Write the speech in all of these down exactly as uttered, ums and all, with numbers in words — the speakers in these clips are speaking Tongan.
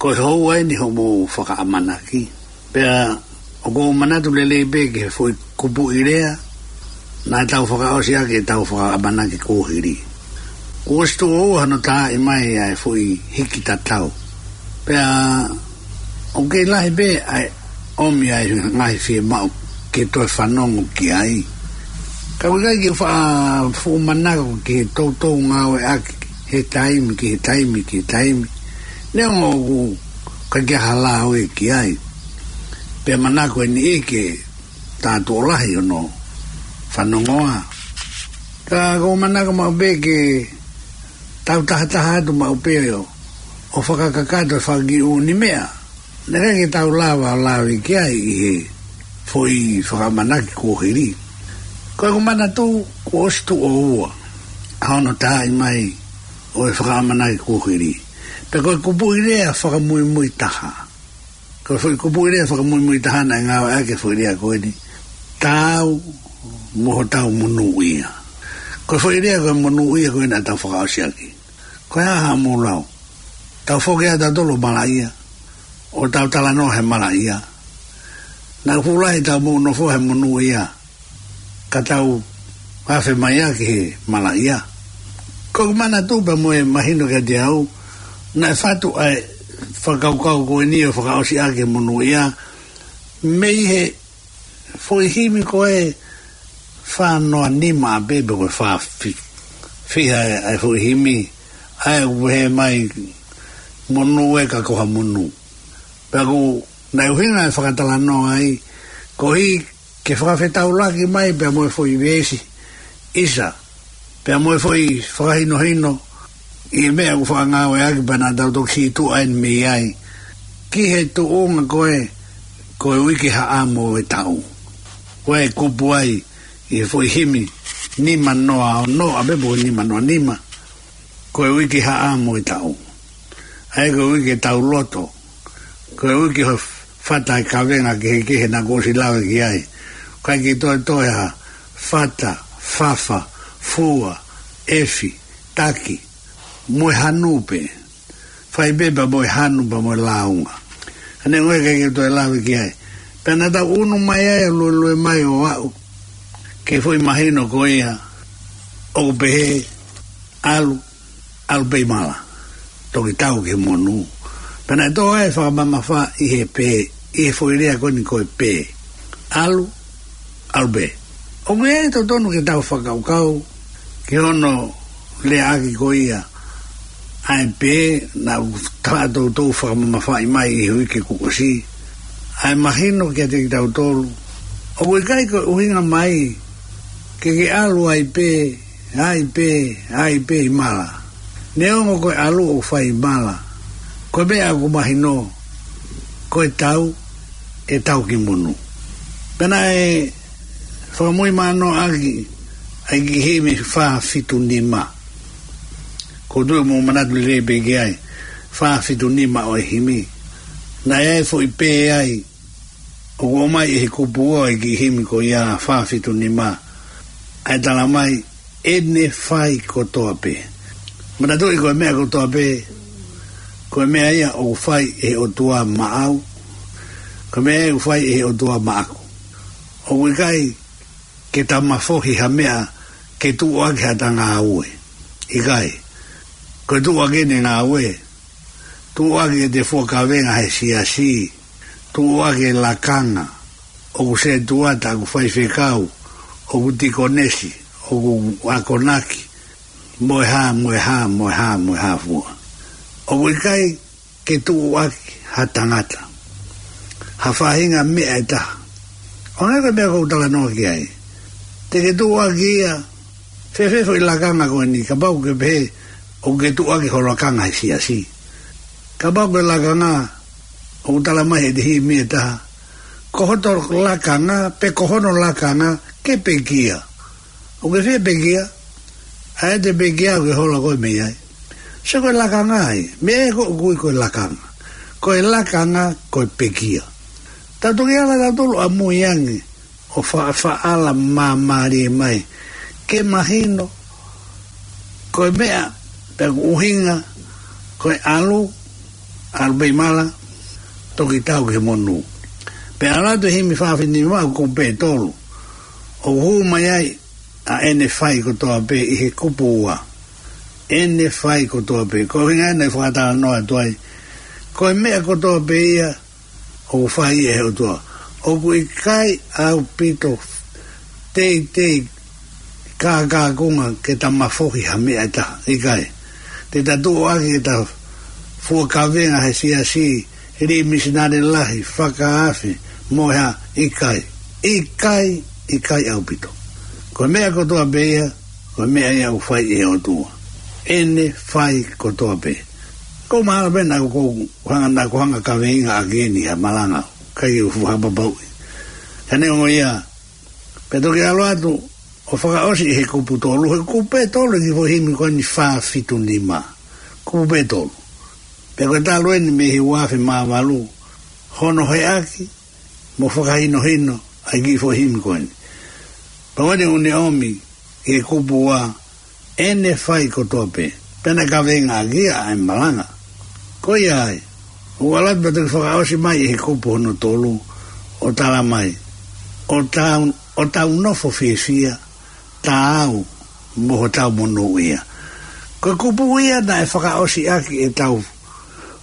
Ko e houa eni hoʻomou fakaʻamanaki. Pea ʻoku ou manatu lelei pē ki he foʻi kupuʻi lea naʻa tau fakaʻosi ʻaki ʻetau fakaʻamanaki kuohili. Kuo ʻosi tuʻo ua hono taaʻi mai ʻa e foʻi hiki tatau. Pea ʻoku kei lahi pē ʻa e ʻomi ʻa e ngaahi fiemaʻu ke toe fanongo ki ai. Ka ʻoku ʻikai ke faʻa fuʻu manako ki he toutou ngāueʻaki he taimi ki he taimi ki he taimi. Neongo ʻoku ʻikai ke ʻi ai ha lave ki ai. Pea manako ʻe niʻihi ke tā tuʻo lahi hono fanongoa. Ka ʻoku ou manako maʻu pē ke tau tahataha atu maʻu pē ʻo, ʻo fakakakato e fanga kiʻi ʻū meʻa naʻe ʻikai ke tau lava ʻo lave ki ai ʻi he foʻi fakaʻamanaki kuohili. Ko ʻeku manatu kuo ʻosi tuʻo ua ʻa hono taaʻi mai ʻo e fakaʻamanaki kuohili. Pea ko e kupuʻi lea fakamuimui taha. Ko e foʻi kupuʻi lea fakamuimui taha naʻe ngāueʻaki e foʻi lea ko eni: Taau mo hotau monūʻia. Ko e foʻi lea ko e monūʻia ko ē naʻa tau fakaʻosi ʻaki. Ko e hā haʻamou lau? Tau foki ʻa tautolu ʻo malaʻia, ʻo tau talanoa he malaʻia. Naʻe fuʻu lahi ʻetau moʻunofo he monūʻia, ka tau afe mai ʻaki he malaʻia. Ko ʻeku manatu pea mo e mahino kiate au, naʻe fatu ʻa e fakakaukau ko eni ʻo fakaʻosi ʻaki e monūʻia mei he foʻi himi ko ē fā noa nima ʻa pē, pe ko e fā fi-, fiha ʻa e foʻi himi, ʻa ē ʻoku pehē mai: Monū ē, ka ko ha monū. Pea ʻoku, naʻe ʻuhinga e fakatalanoa ai, koeʻuhi ke fakafetaulaki mai pea mo e foʻi veesi ʻisa, pea mo e foʻi fakahinohino ʻi he meʻa ʻoku faʻa ngāueʻaki, pea naʻa tau toki sītuʻa eni mei ai ki he tuʻunga ko ē ko e uike haʻamo ʻo e taʻu. Ko e kupu ai ʻi he foʻi himi nima noa ono ʻa pē, pe ko e nima noa nima. Ko e uike haʻamo ʻo e taʻu. ʻA ē ko e uike tauloto. Ko e uike ʻoku fata ai e kavenga kehekehe naʻa ku ʻosi lave ki ai. ʻIkai ke toe toe ha fata, fafa, fua, ʻefi, taki, mo e hanu pē. Fai pē pea mo e hanu pea mo e lāunga. Ane ngoe ʻikai ke toe lave ki ai. Pea naʻa tau ʻunu mai ai ʻo luelue mai ʻo aʻu ki he foʻi mahino ko ia ʻoku pehē: ʻAlu, ʻalu pē ʻi mala, toki tau ki he monū. Pea naʻe tō ai e fakamamafa ʻi he pē, ʻi he foʻi lea ko eni ko e pē. ʻAlu, ʻalu pē. ʻOku ʻi ai e totonu ke tau fakakaukau ki hono leaʻaki ko ia ʻa e pē, naʻa tau toutou fakamamafaʻi mai ʻi he uike kuo ʻosi, ʻa e mahino kiate kitautolu. ʻOku ʻikai ko e ʻuhinga mai ke ke ʻalu ai pē, ai pē, ai pē ʻi mala. Neongo ko e ʻalu ʻoku fai ʻi mala, ko e meʻa ʻoku mahino ko e tau, ʻe tau ki monū. Pea naʻe fakamuimui mano ʻaki ʻa e kiʻi himi fā fitu nima. ʻOku ou tui ʻoku mou manatu lelei pē ki ai, fā fitu nima ʻo e himi. Naʻe ʻi ai e foʻi pē ai ʻoku ʻomai ʻe he kupu ʻo e kiʻi himi ko ia fā fitu nima, ʻa e tala mai: ʻEne fai kotoa pē. Manatuʻi ko e meʻa kotoa pē, ko e meʻa ia ʻoku fai ʻe he ʻOtua maʻau, ko e meʻa ia ʻoku fai ʻe he ʻOtua maʻaku. ʻOku ʻikai ke ta mafohi ha meʻa ke tuʻu ʻaki haʻata ngāue. ʻIkai. Ko e tuʻu ʻaki ʻene ngāue, tuʻu ʻaki ʻete fua kavenga he siasi, tuʻu ʻaki e lakanga, ʻoku setuata, ʻoku faifekau, ʻoku tikonesi, ʻoku akonaki, mo e hā, mo e hā, mo e hā, mo e hā fua. ʻOku ʻikai ke tuʻu ʻaki ha tangata ha faʻahinga meʻa ʻe taha. ʻO hangē ko e meʻa ʻoku ou talanoa ki ai. Te ke tuʻu ʻaki ia, fēfē foʻi lakanga ko eni, kapau ʻoku ke pehē ʻoku ke tuʻu ʻaki ho lakanga he siasi. Kapau ko e lakanga, ʻoku tala mai ʻe he himi ʻe taha: Ko hoto lakanga, pe ko hono lakanga, ke pekia. ʻOku ke fie pekia? ʻA ē te pekia ʻoku ke hola koe mei ai. Sio, ko e lakanga ia. Meʻa ē ʻoku ui ko e lakanga. Ko e lakanga, ko e pekia. Tau toki ala tautolu ʻamui ange ʻo fa-, faʻa ala māmālie mai ke mahino ko e meʻa, pe ko e ʻuhinga, ko e ʻalu, ʻalu pē ʻi mala, toki tau ki he monū. Pea ʻalu atu e himi fā fitu nima ʻoku kupu pē ʻe tolu. ʻOku hū mai ai ʻa ʻene fai kotoa pē ʻi he kupu ua. ʻEne fai kotoa pē. Ko e ʻuhinga ia naʻe fakatalanoa atu ai. Ko e meʻa kotoa pē ia ʻoku fai ʻe he ʻOtua. ʻOku ʻikai ʻaupito teitei kākākunga ke ta mafohi ha meʻa ʻe taha. ʻIkai. Te ta tuʻu ʻaki ʻeta fua kavenga he siasi, lī misinale lahi, fakaafe, mo e hā, ʻikai. ʻIkai, ʻikai ʻaupito. Ko e meʻa kotoa pē ia, ko e meʻa ia ʻoku fai ʻe he ʻOtua. ʻEne fai kotoa pē. Ko mahalo pē naʻa ku hanga, naʻa ku hanga kaveinga ʻaki eni ha malanga, ʻikai ke u fakapapauʻi. Ka neongo ia, pea toki ʻalu atu ʻo fakaʻosi ʻi he kupu tolu, he kupu pē ʻe tolu ʻi he foʻi himi ko eni fā fitu nima. Kupu pē ʻe tolu. Pea ko e talu eni mei he ua afe mā valu, hono heʻaki mo fakahinohino ʻa e kiʻi foʻi himi ko eni. Pea ko eni ʻoku ne ʻomi ʻi he kupu ua, ʻEne fai kotoa pē. Pea naʻe kaveinga ʻaki ia ʻa e malanga. Ko ia ai, ʻoku ʻalu atu pea toki fakaʻosi mai ʻi he kupu hono tolu, ʻo tala mai, ʻo tau, ʻo tau nofo fiefia, taau mo hotau monūʻia. Ko e kupu ia naʻe fakaʻosi ʻaki ʻetau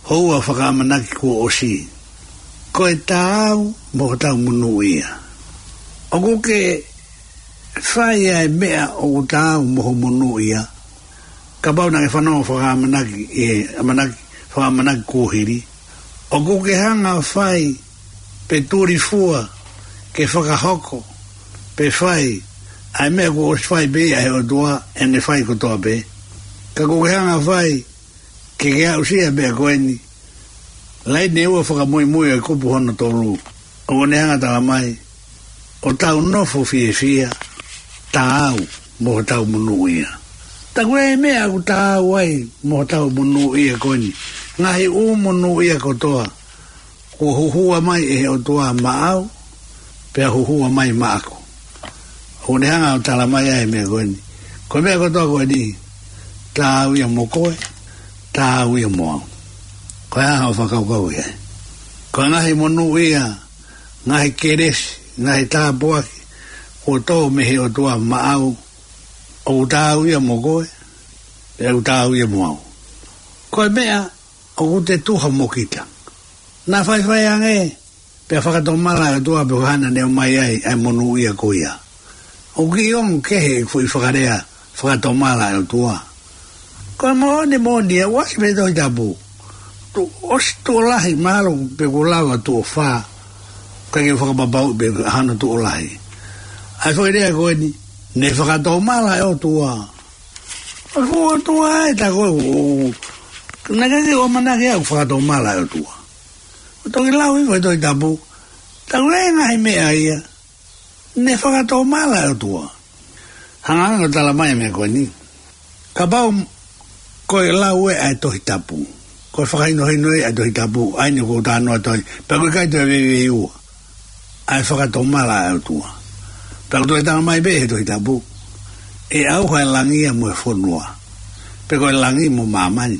houa fakaʻamanaki kuo ʻosi. Ko e taau mo hotau monūʻia. ʻOku ke fai ʻa e meʻa ʻoku taau mo ho monūʻia. Kapau naʻa ke fanongo fakaʻamanaki, ʻe, ʻamanaki, fakaʻamanaki kuo hili. ʻOku ke hanga fai pe tulifua ke fakahoko, pe fai ʻa e meʻa kuo ʻosi fai pē ia ʻe he ʻOtua, ʻEne fai kotoa pē. Ka ʻoku ke hanga fai ke ke aʻusia e meʻa ko eni. Laine ua fakamuimui ʻo e kupu hono tolu, ʻoku ne hanga tala mai, ʻo tau nofo fiefia, taau mo hotau monūʻia. Ta ko e meʻa ʻoku taau ai mo hotau monūʻia ko eni, ngaahi ʻū monūʻia kotoa kuo huhua mai ʻe he ʻOtua maʻau, pea huhua mai maʻaku. ʻOku ne hanga ʻo tala mai ʻa e meʻa ko eni. Ko e meʻa kotoa ko eni, taau ia mo koe, taau ia mo au. Ko e hā haʻo fakakaukau ia? Ko e ngaahi monūʻia, ngaahi kelesi, ngaahi tāpuaki kuo tō mei he ʻOtua maʻau, ʻoku taau ia mo koe, pea ʻoku taau ia mo au. Ko e meʻa ʻoku te tuha mo kita. Naʻa faifai ange, pea fakatomala e ʻOtua pe ko e hā naʻa ne ʻomai ai ʻa e monūʻia ko ia. ʻOku kiʻi ongo kehe e foʻi fakalea fakatomala e ʻOtua. Ko e moʻoni moʻoni ia, ʻoku ʻasi pē he Tohi Tapu. Tuʻo ʻosi, tuʻo lahi, mahalo pe kuo lava tuʻo fā. ʻIkai ke u fakapapauʻi pe hano tuʻo lahi. ʻA e foʻi lea ko eni, ne fakatomala e ʻOtua. ʻOku ʻOtua ē, ta ko e, ʻo, naʻe ʻikai ke u ʻamanaki au ʻoku fakatomala e ʻOtua. ʻOku toki lau hifo he Tohi Tapu, ta ko e ngaahi meʻa ia, ne fakatomala e ʻOtua. Hanga ange ʻo tala mai e meʻa ko eni. Kapau ko e lau ē ʻa e Tohi Tapu, ko e fakahinohino ē ʻa e Tohi Tapu, ʻa eni ʻoku ou talanoa atu ai, pea ʻoku ʻikai toe veiveiua ʻa e fakatomala ʻa e ʻOtua. Pea ʻoku toe tala mai pē he Tohi Tapu, ʻe ʻauha e langi ia mo e fonua, pe ko e langi mo māmani.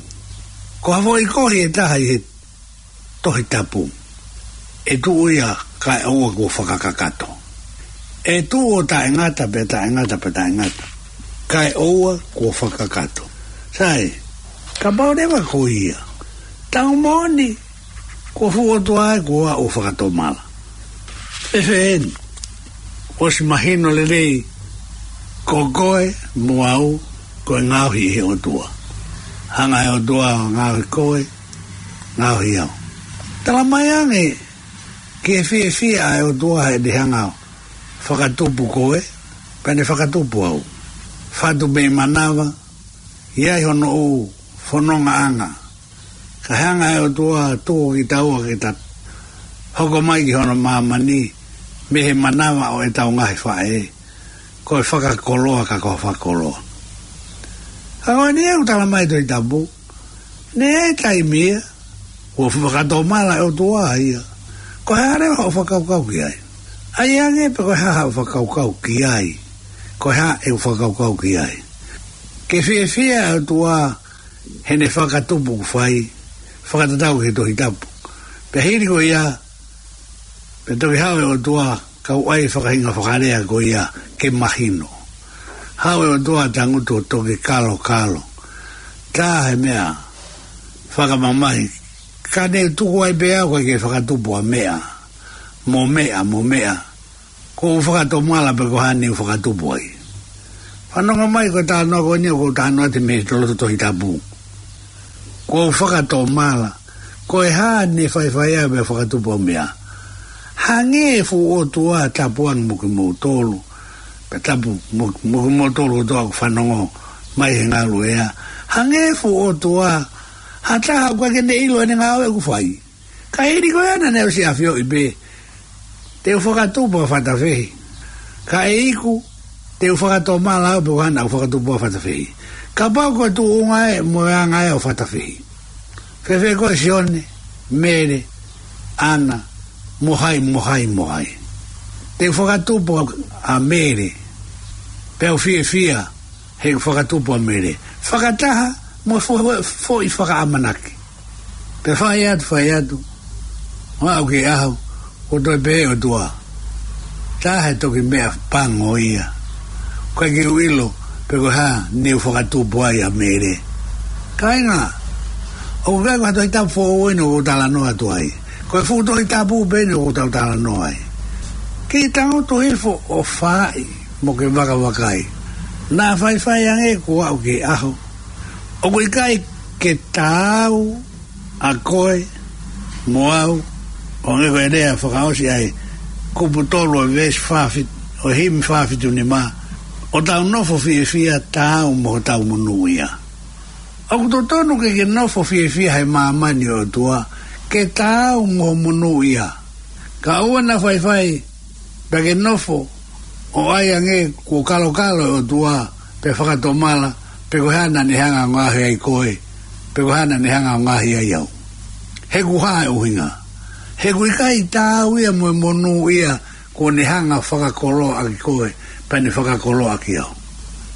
Ko ha foʻi kohi ʻe taha ʻi he Tohi Tapu, ʻe tuʻu ia kae ʻoua kuo fakakakato. ʻE tuʻu ʻo taʻengata pea taʻengata pea taʻengata, kae ʻoua kuo fakakakato. Sai, kapau leva ko ia, tau moʻoni, ko e fuʻu ʻOtua ē kuo aʻu ʻo fakatomala. Fēfē eni? ʻOsi mahino lelei, ko koe mo au, ko e ngaohi ʻe he ʻOtua. Hanga ʻe he ʻOtua ʻo ngaohi koe, ngaohi au. Tala mai ange ki he fiefia ʻa e ʻOtua heʻene hanga ʻo fakatupu koe, pea ne fakatupu au. Fatu mei manava, ʻi ai hono ʻū fonongaʻanga. Kae hanga ʻe he ʻOtua ʻo tuku kitaua ke ta hoko mai ki hono māmani, mei he manava ʻo ʻetau ngaahi faʻē. Ko e fakakoloa ka ko e fakakoloa. Ka ko eni ʻoku tala mai e Tohi Tapu, naʻe ʻi ai e taimi ia, kuo fakatomala e ʻOtua ia. Ko e hā leva hoʻo fakakaukau ki ai? ʻAi ange pe ko e hā haʻo fakakaukau ki ai. Ko e hā ʻeku fakakaukau ki ai? Ke fiefia e ʻOtua heʻene fakatupu ʻoku fai, fakatatau ki he Tohi Tapu. Pea hili ko ia, pea toki haʻu e ʻOtua, kau ai fakahinga fakalea ko ia ke mahino. Haʻu e ʻOtua tangutu ʻo toki kalokalo. Tā he meʻa fakamamahi. Ka ne tuku ai pē au ʻikai ke fakatupu ʻa meʻa. Mo meʻa, mo meʻa. Kuo u fakatomala pe ko e hā ne u fakatupu ai. Fanongo mai ko e talanoa ko eni ʻoku ou talanoa atu mei he loto Tohi Tapu. Kuo u fakatomala. Ko e hā ne faifai au pea fakatupu au meʻa. Hangē e fuʻu ʻOtua tapu ange mo kimoutolu. Pea tapu mo, mo kimoutolu kotoa ʻoku fanongo mai he ngaluʻea. Hangē e fuʻu ʻOtua. Ha taha ʻoku ʻikai ke ne ʻilo ʻene ngāue ʻoku fai. Ka hili ko ia naʻa ne ʻosi ʻafioʻi pē. Te u fakatupu ʻa Fatafehi. Ka ʻe iku, te u fakatomala au pe ko e hā naʻa ku fakatupu ʻa Fatafehi. Kapau ko e tuʻunga ē mo e anga ē ʻo Fatafehi. Fēfē koe Sione, Mele, ʻAna, mo hai, mo hai, mo hai. Te u fakatupu ʻa Mele. Pea u fiefia he fakatupu ʻa Mele. Fakataha mo e fo-, foʻi fakaʻamanaki. Pea fai atu, fai atu. Ua au ke aho, ʻoku toe pehē ʻOtua. Tā he toki meʻa pango ia. ʻIkai ke u ʻilo, pe ko e hā, ne u fakatupu ai ʻa Mele. Kāinga, ʻoku ʻikai ko ha Tohi Tapu foʻou eni ʻoku ou talanoa atu ai. Ko e fuʻu Tohi Tapu pē eni ʻoku ou tau talanoa ai. Ke tangutu hifo ʻo fai mo ke vakavakai. Naʻa faifai ange kuo aʻu ki he ʻaho. ʻOku ʻikai ke taau ʻa koe mo au, ʻo hangē ko e lea fakaʻosi ai, kupu tolu ʻo e veesi fā fitu, ʻo e himi fā fitu nima, ʻo tau nofo fiefia taau mo hotau monūʻia. ʻOku totonu ke ke nofo fiefia he māmani ʻo e ʻOtua, ke taau mo ho monūʻia. Ka ʻoua naʻa faifai, pea ke nofo, ʻo ʻai ange kuo kalokalo e ʻOtua, pea fakatomala, pe ko e hā naʻa ne hanga ʻo ngaohi ai koe, pe ko e hā naʻa ne hanga ʻo ngaohi ai au. He ʻoku hā e ʻuhinga. He ʻoku ʻikai taau ia mo e monūʻia, kuo ne hanga ʻo fakakoloa ʻaki koe, pea ne fakakoloa ʻaki au.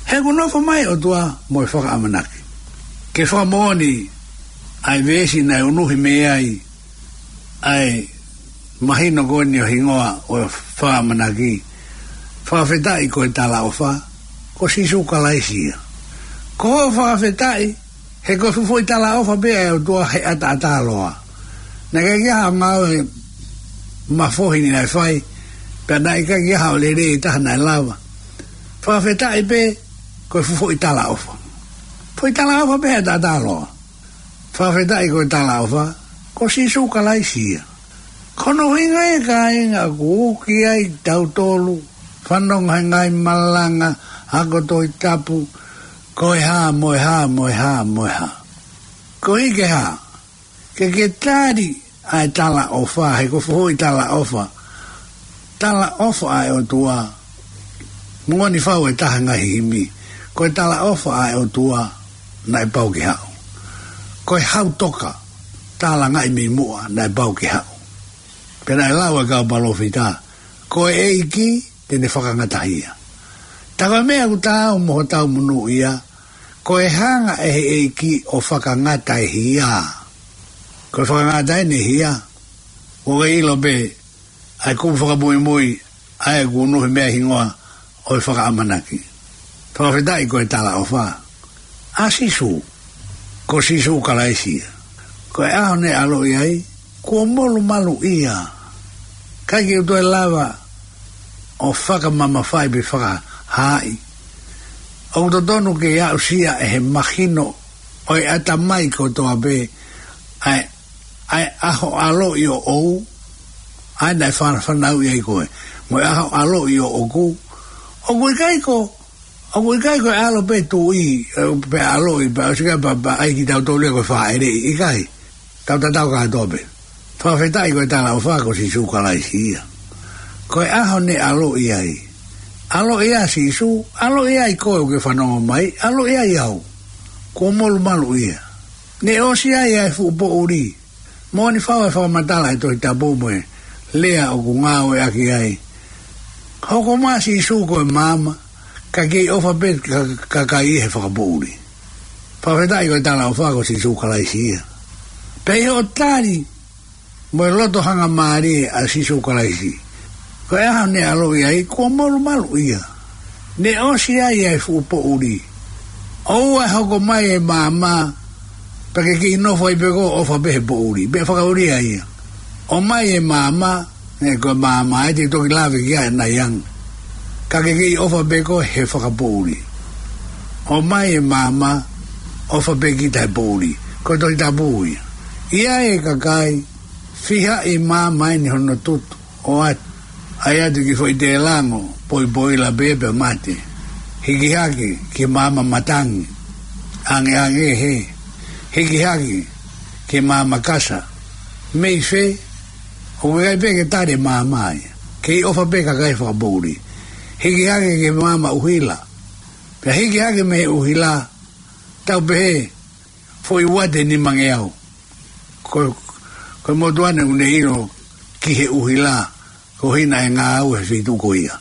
He ʻoku nofo mai e ʻOtua mo e fakaʻamanaki. Ke fakamoʻoni ʻa e veesi naʻe unuhi mei ai ʻa e mahino ko eni ʻo e hingoa ʻo e fakaʻamanaki. Fakafetaʻi ko e talaʻofa, ko Sīsū Kalaisi ia. Ko hoʻo fakafetaʻi, he ko e fuʻu foʻi talaʻofa pē ʻa e ʻOtua he ʻataʻatā loa. Naʻe ʻikai ke ʻi ai ha ngāue mafohi naʻe fai, pea naʻe ʻikai ke ʻi ai ha lelei ʻe taha naʻe lava. Fakafetaʻi pē, ko e fuʻu foʻi talaʻofa. Foʻi talaʻofa pē he ʻataʻatā loa. Fakafetaʻi ko e talaʻofa, ko Sīsū Kalaisi ia. Ko hono ʻuhinga ia kāinga ʻoku uki ai tautolu, fanongo he ngaahi malanga, ako Tohi Tapu, ko e hā, mo e hā, mo e hā, mo e hā. Ko e hā ke hā, ke ke tali ʻa e talaʻofa, he ko e fuʻu foʻi talaʻofa. Talaʻofa ʻa e ʻOtua. Moʻoni fau e taha ngaahi himi. Ko e talaʻofa ʻa e ʻOtua naʻe pau ke haʻu. Ko e hau toka, talangaʻi mei muʻa naʻe pau ke haʻu. Pea naʻe lau e kau palōfita, ko e ʻEiki te ne fakangatahia. Tā ko e meʻa ʻoku taau mo hotau monūʻia, ko e hanga ʻe he ʻEiki ʻo fakangata e hia. Ko e fakangata eni e hia. ʻOku ke ʻilo pē, ʻa e kupu fakamuimui, ʻa ē ʻoku unuhi mei ai e hingoa ʻo e fakaʻamanaki. Fakafetaʻi ko e talaʻofa. ʻA Sīsū, ko Sīsū Kalaisi ia. Ko e ʻaho ne ʻaloʻi ai, kuo molumalu ia. ʻIkai ke u toe lava ʻo fakamamafaʻi pe fakahaaʻi. ʻOku totonu ke aʻusia ʻe he mahino ʻo e ʻatamai kotoa pē, ʻa e ʻa e ʻaho ʻaloʻi ʻoʻou, ʻa ē naʻe fana-, fanauʻi ai koe. Mo e ʻaho ʻaloʻi ʻoʻoku. ʻOku ʻikai ko, ʻoku ʻikai ko e ʻalo pē tuʻi, ē, pea ʻaloʻi, pea ʻosi ʻikai pea, pea ʻai kitautolu ia ko e fāʻeleʻi, ʻikai. Tau tatau kātoa pē. Fakafetaʻi ko e talaʻofa ko Sīsū Kalaisi ia. Ko e ʻaho ne ʻaloʻi ai. ʻAloʻi ʻa Sīsū, ʻaloʻi ai koe ʻoku ke fanongo mai, ʻaloʻi ai au. Kuo molumalu ia. Ne ʻosi ai ʻa e fuʻu poʻuli. Moʻoni fau e fakamatala ʻa e Tohi Tapu mo e lea ʻoku ngāueʻaki ai. Hoko mai ʻa Sīsū ko e maama, ka kei ʻofa pē ka, ka, ka ʻi he fakapoʻuli. Fakafetaʻi ko e talaʻofa ko Sīsū Kalaisi ia. Pea ʻi hoʻo tali mo e loto hangamālie ʻa Sīsū Kalaisi, ko e ʻaho ne ʻaloʻi ai kuo molumalu ia. Ne ʻosi ai ʻa e fuʻu poʻuli. ʻOua ʻe hoko mai e maama, pea ke kiʻi nofo ai pē koe ʻo ʻofa pē he poʻuli. Pea fakaʻulia ia. ʻOmai e maama, ʻe, ko e maama ʻe te toki lave ki ai ʻanai ange. Ka ke kiʻi ʻofa pē koe he fakapoʻuli. ʻOmai e maama, ʻofa pē kita he poʻuli. Ko e Tohi Tapu ia. ʻI ai e kakai, fiha ʻi maama ʻeni hono tutu, ʻo ʻai atu ki he foʻi tēlango, poʻipoʻila pē pea mate. Hiki hake ki he maama matangi, ʻangeʻange hē. Hiki hake ki he maama kasa. Mei fē? ʻOku ʻikai pē ke tali e maama ia. Kiʻi ʻofa pē kakai fakapoʻuli. Hiki hake ki he maama ʻuhila. Pea hiki hake mei he ʻuhila, tau pehē, foʻi uate nimangeau. Ko, ko e motuʻa ʻeni ʻoku ne ʻilo ki he ʻuhila, ko hina e ngāue he feituʻu ko ia.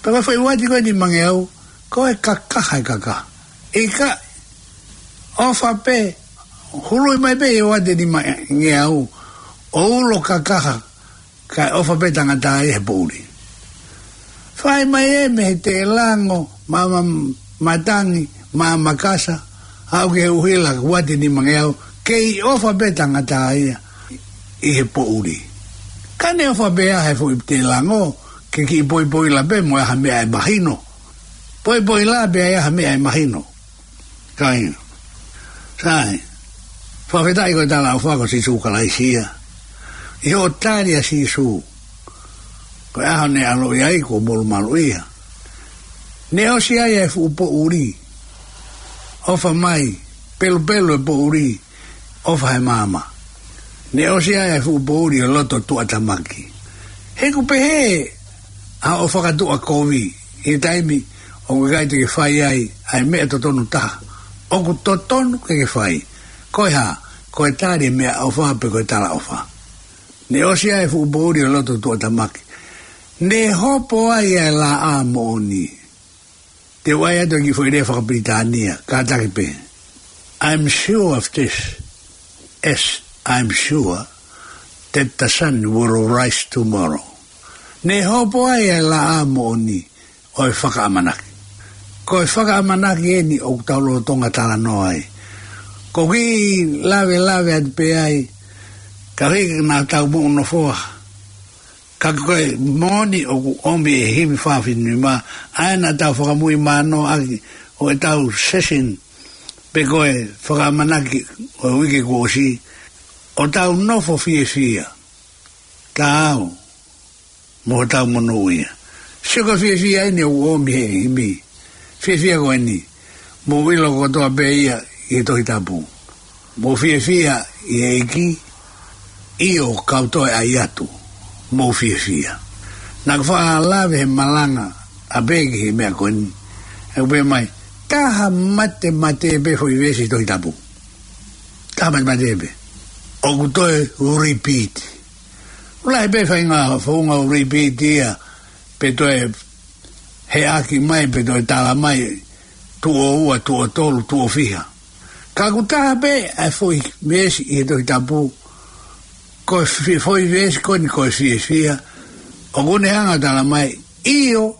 Pea ko e foʻi uate ko ē nimangeau, ko e kakaha e kakaha. ʻIkai, ʻofa pē, hului mai pē ʻi he uate nimangeau, ʻo ulo kakaha, kae ʻofa pē tangata ia he poʻuli. Fai mai ē mei he tēlango, maama matangi, maama kasa, aʻu ki he ʻuhila, uate nimangeau, kei ʻofa pē tangata ia ʻi he poʻuli. Ka ne ʻofa pē ʻa he foʻi tēlango, ke kiʻi poʻipoʻila pē mo e ʻai ha meʻa ʻe mahino. Poʻipoʻila pē ʻa e ʻai ha meʻa ʻe mahino. Kāinga. Sai. Fakafetaʻi ko e talaʻofa ko Sīsū Kalaisi ia. ʻI hoʻo tali ʻa Sīsū, ko e ʻaho ne ʻaloʻi ai kuo molumalu ia. Ne ʻosi ai ʻa e fuʻu poʻuli. ʻOfa mai, pelupelu e poʻuli, ʻofa he maama. Ne ʻosi ai ʻa e fuʻu poʻuli ʻo e loto tuʻatamaki. He ʻoku pehē ʻa hoʻo fakatuʻa kovi, ʻi he taimi ʻoku ʻikai te ke fai ai ʻa e meʻa totonu taha ʻoku totonu ke ke fai. Ko e hā? Ko e tali e meʻaʻofa pe ko e talaʻofa. Ne ʻosi ai e fuʻu poʻuli ʻo e loto tuʻatamaki. Ne hopo ai ʻa e laʻā moʻoni. Te u ʻai atu e kiʻi foʻi lea fakapilitānia, kātaki pē. I'm sure of this, as I'm sure that the sun will rise tomorrow. Ne hopo ai ʻa e laʻā moʻoni ʻo e fakaʻamanaki. Ko e fakaʻamanaki ʻeni ʻoku tau lolotonga talanoa ai. Ko e kiʻi lavelave atu pē ai, ka hiki naʻa tau moʻunofoa. Ka ko e moʻoni ʻoku ʻomi ʻe he himi fā fitu nima, ʻa ia naʻa tau fakamuimui mano ʻaki ʻo ʻetau session, pe ko e fakaʻamanaki ʻo e uike kuo ʻosi, ʻo tau nofo fiefia. Taau, mo hotau monūʻia. Sio ko e fiefia ʻeni ʻoku ʻomi ʻe he himi. Fiefia ko ʻeni. Mou ʻilo kotoa pē ia ʻi he Tohi Tapu. Mou fiefia ʻi he ʻEiki, ʻio kau toe ʻai atu. Mou fiefia. Naʻa ku faʻa lave he malanga ʻapē ki he meʻa ko ʻeni. ʻOku pehē mai, taha mate mate pē foʻi veesi Tohi Tapu. Taha mate mate pē. ʻOku toe repeat. ʻOku lahi pē faʻahinga founga ʻoku repeat ia, pe toe heʻaki mai, pe toe tala mai, tuʻo ua, tuʻo tolu, tuʻo fiha. Ka ʻoku taha pē ʻa e foʻi veesi ʻi he Tohi Tapu, ko e fi-, foʻi veesi ko ʻeni ko e fiefia, ʻoku ne hanga tala mai, ʻio,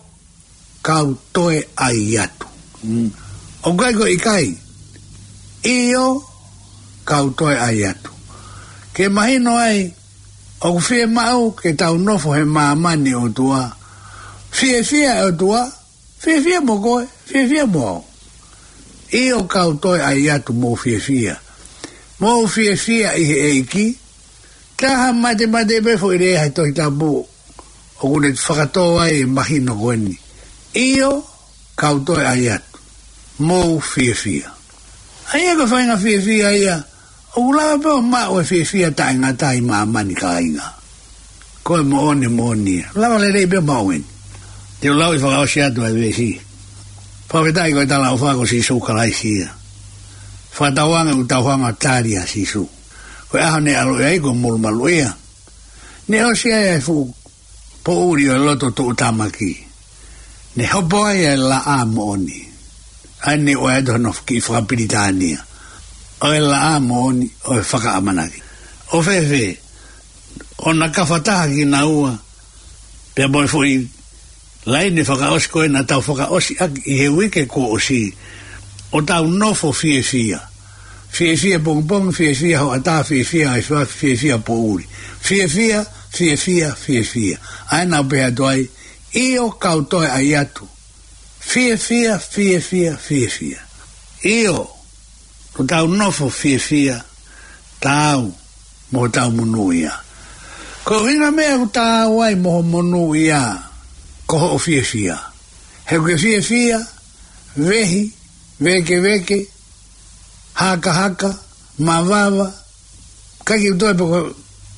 kau toe ʻai atu. Mm. ʻOku ʻikai ko e ʻikai. ʻIo, kau toe ʻai atu. Ke mahino ai, ʻoku fiemaʻu ke tau nofo he māmani ʻOtua. Fiefia e ʻOtua, fiefia mo koe, fiefia mo au. ʻIo kau toe ʻai atu mou fiefia. Mou fiefia ʻi he ʻEiki, taha mate mate pē foʻi lea he Tohi Tapu ʻoku ne fakatō ai e mahino ko ʻeni. ʻIo, kau toe ʻai atu. Mou fiefia. ʻA ia ko e faʻahinga fiefia ia, ʻoku lava pē ʻo maʻu e fiefia taʻengata ʻi māmani kāinga. Ko e moʻoni, moʻoni ia. Lava lelei pē ʻo maʻu ʻeni. Te u lau ʻi fakaʻosi atu ʻa e veesi. Fakafetaʻi ko e talaʻofa ko Sīsū Kalaisi ia. Fakatauange ʻoku tau hanga ʻo tali ʻa Sīsū. Ko e ʻaho ne ʻaloʻi ai kuo molumalu ia. Ne ʻosi ai ʻa e fuʻu poʻuli ʻo e loto tuʻutāmaki. Ne hopo ai ʻa e laʻā moʻoni. ʻA ʻeni ʻoku ʻai atu hono kiʻi fakapilitānia. ʻo e laʻā moʻoni ʻo e fakaʻamanaki. ʻO fēfē, ʻo na kafataha kinaua pea mo e foʻi laine fakaʻosi ko ē naʻa tau fakaʻosi ʻaki ʻi he uike kuo ʻosi, ʻo tau nofo fiefia. Fiefia pongipongi, fiefia hoʻatā, fiefia efiafi, fiefia poʻuli. Fiefia, fiefia, fiefia. ʻA ē naʻa ku pehē atu ai, ʻio kau toe ʻai atu. Fiefia, fiefia, fiefia. ʻIo, ʻo tau nofo fiefia, taau mo hotau monūʻia. Ko e ʻuhinga meʻa ʻoku taau ai mo ho monūʻia, ko hoʻo fiefia. He ʻoku ke fiefia, vehi, vēkeveke, hakahaka, mavava, ʻikai ke toe pe ko,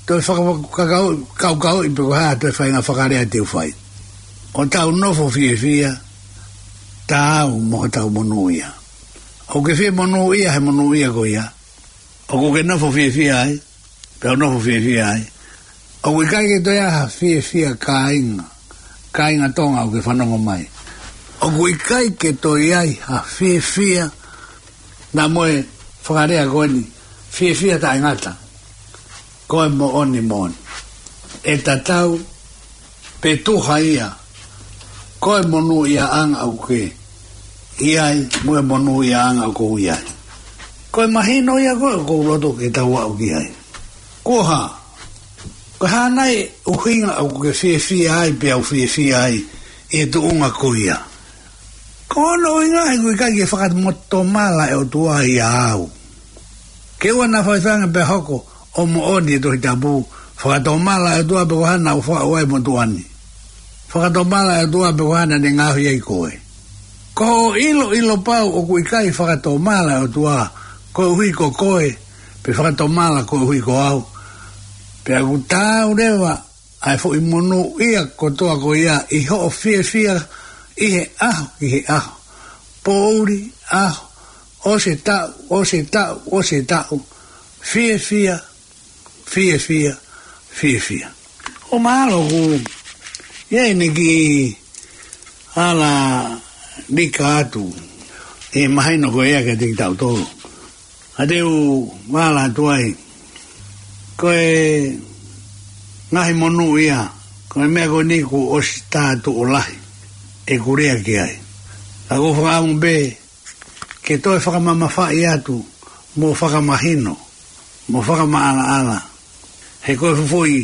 toe fakakakaoi, kaukauʻi pe ko e hā toe faʻahinga fakalea te u fai. ʻO tau nofo fiefia, taau mo hotau monūʻia. ʻOku ke fie monūʻia he monūʻia ko ia. ʻOku ke nofo fiefia ai, pea u nofo fiefia ai. ʻOku ʻikai ke toe ʻi ai ha fiefia kāinga, kāinga Tonga ʻoku ke fanongo mai. ʻOku ʻikai ke toe ʻi ai ha fiefia, naʻa mo e fakalea ko eni, fiefia taʻengata. Ko e moʻoni moʻoni. ʻE tatau, pe tuha ia, ko e monūʻiaʻanga ʻoku ke ʻi ai, mo e monūʻiaʻanga ʻoku ou ʻi ai. Ko e mahino ia ko ē ʻoku ou loto ke tau aʻu ki ai. Ko e hā, ko e hā nai ʻuhinga ʻoku ke fiefia ai, pea u fiefia ai, ʻi he tuʻunga ko ia. Ko hono ʻuhinga he ʻoku ʻikai ke fakatomala e ʻOtua ia au. Ke ʻoua naʻa faifanga pea hoko ʻo moʻoni e Tohi Tapu, fakatomala e ʻOtua pe ko e hā naʻa ku faʻu ai e motuʻa ni. Fakatomala e ʻOtua pe ko e hā naʻa ne ngaohi ai koe. Ko hoʻo ʻiloʻilo pau ʻoku ʻikai fakatomala e ʻOtua, koeʻuhi ko koe, pe fakatomala koeʻuhi ko au. Pea ʻoku taau leva ʻa e foʻi monūʻia kotoa ko ia ʻi hoʻo fiefia ʻi he ʻaho ki he ʻaho. Poʻuli, ʻaho, ʻosi e taʻu, ʻosi e taʻu, ʻosi e taʻu. Fiefia, fiefia, fiefia. ʻO mahalo ʻoku ʻi ai ʻene kiʻi ala lika atu e mahino ko ia kiate kitautolu. Ka te u vala atu ai, ko e ngaahi monūʻia, ko e meʻa ko eni kuo ʻosi tā tuʻo lahi ʻeku lea ki ai. Ka ʻoku ou fakaʻamu pē ke toe fakamamafaʻi atu, mo fakamahino, mo fakamaʻalaʻala. He ko e fuʻu foʻi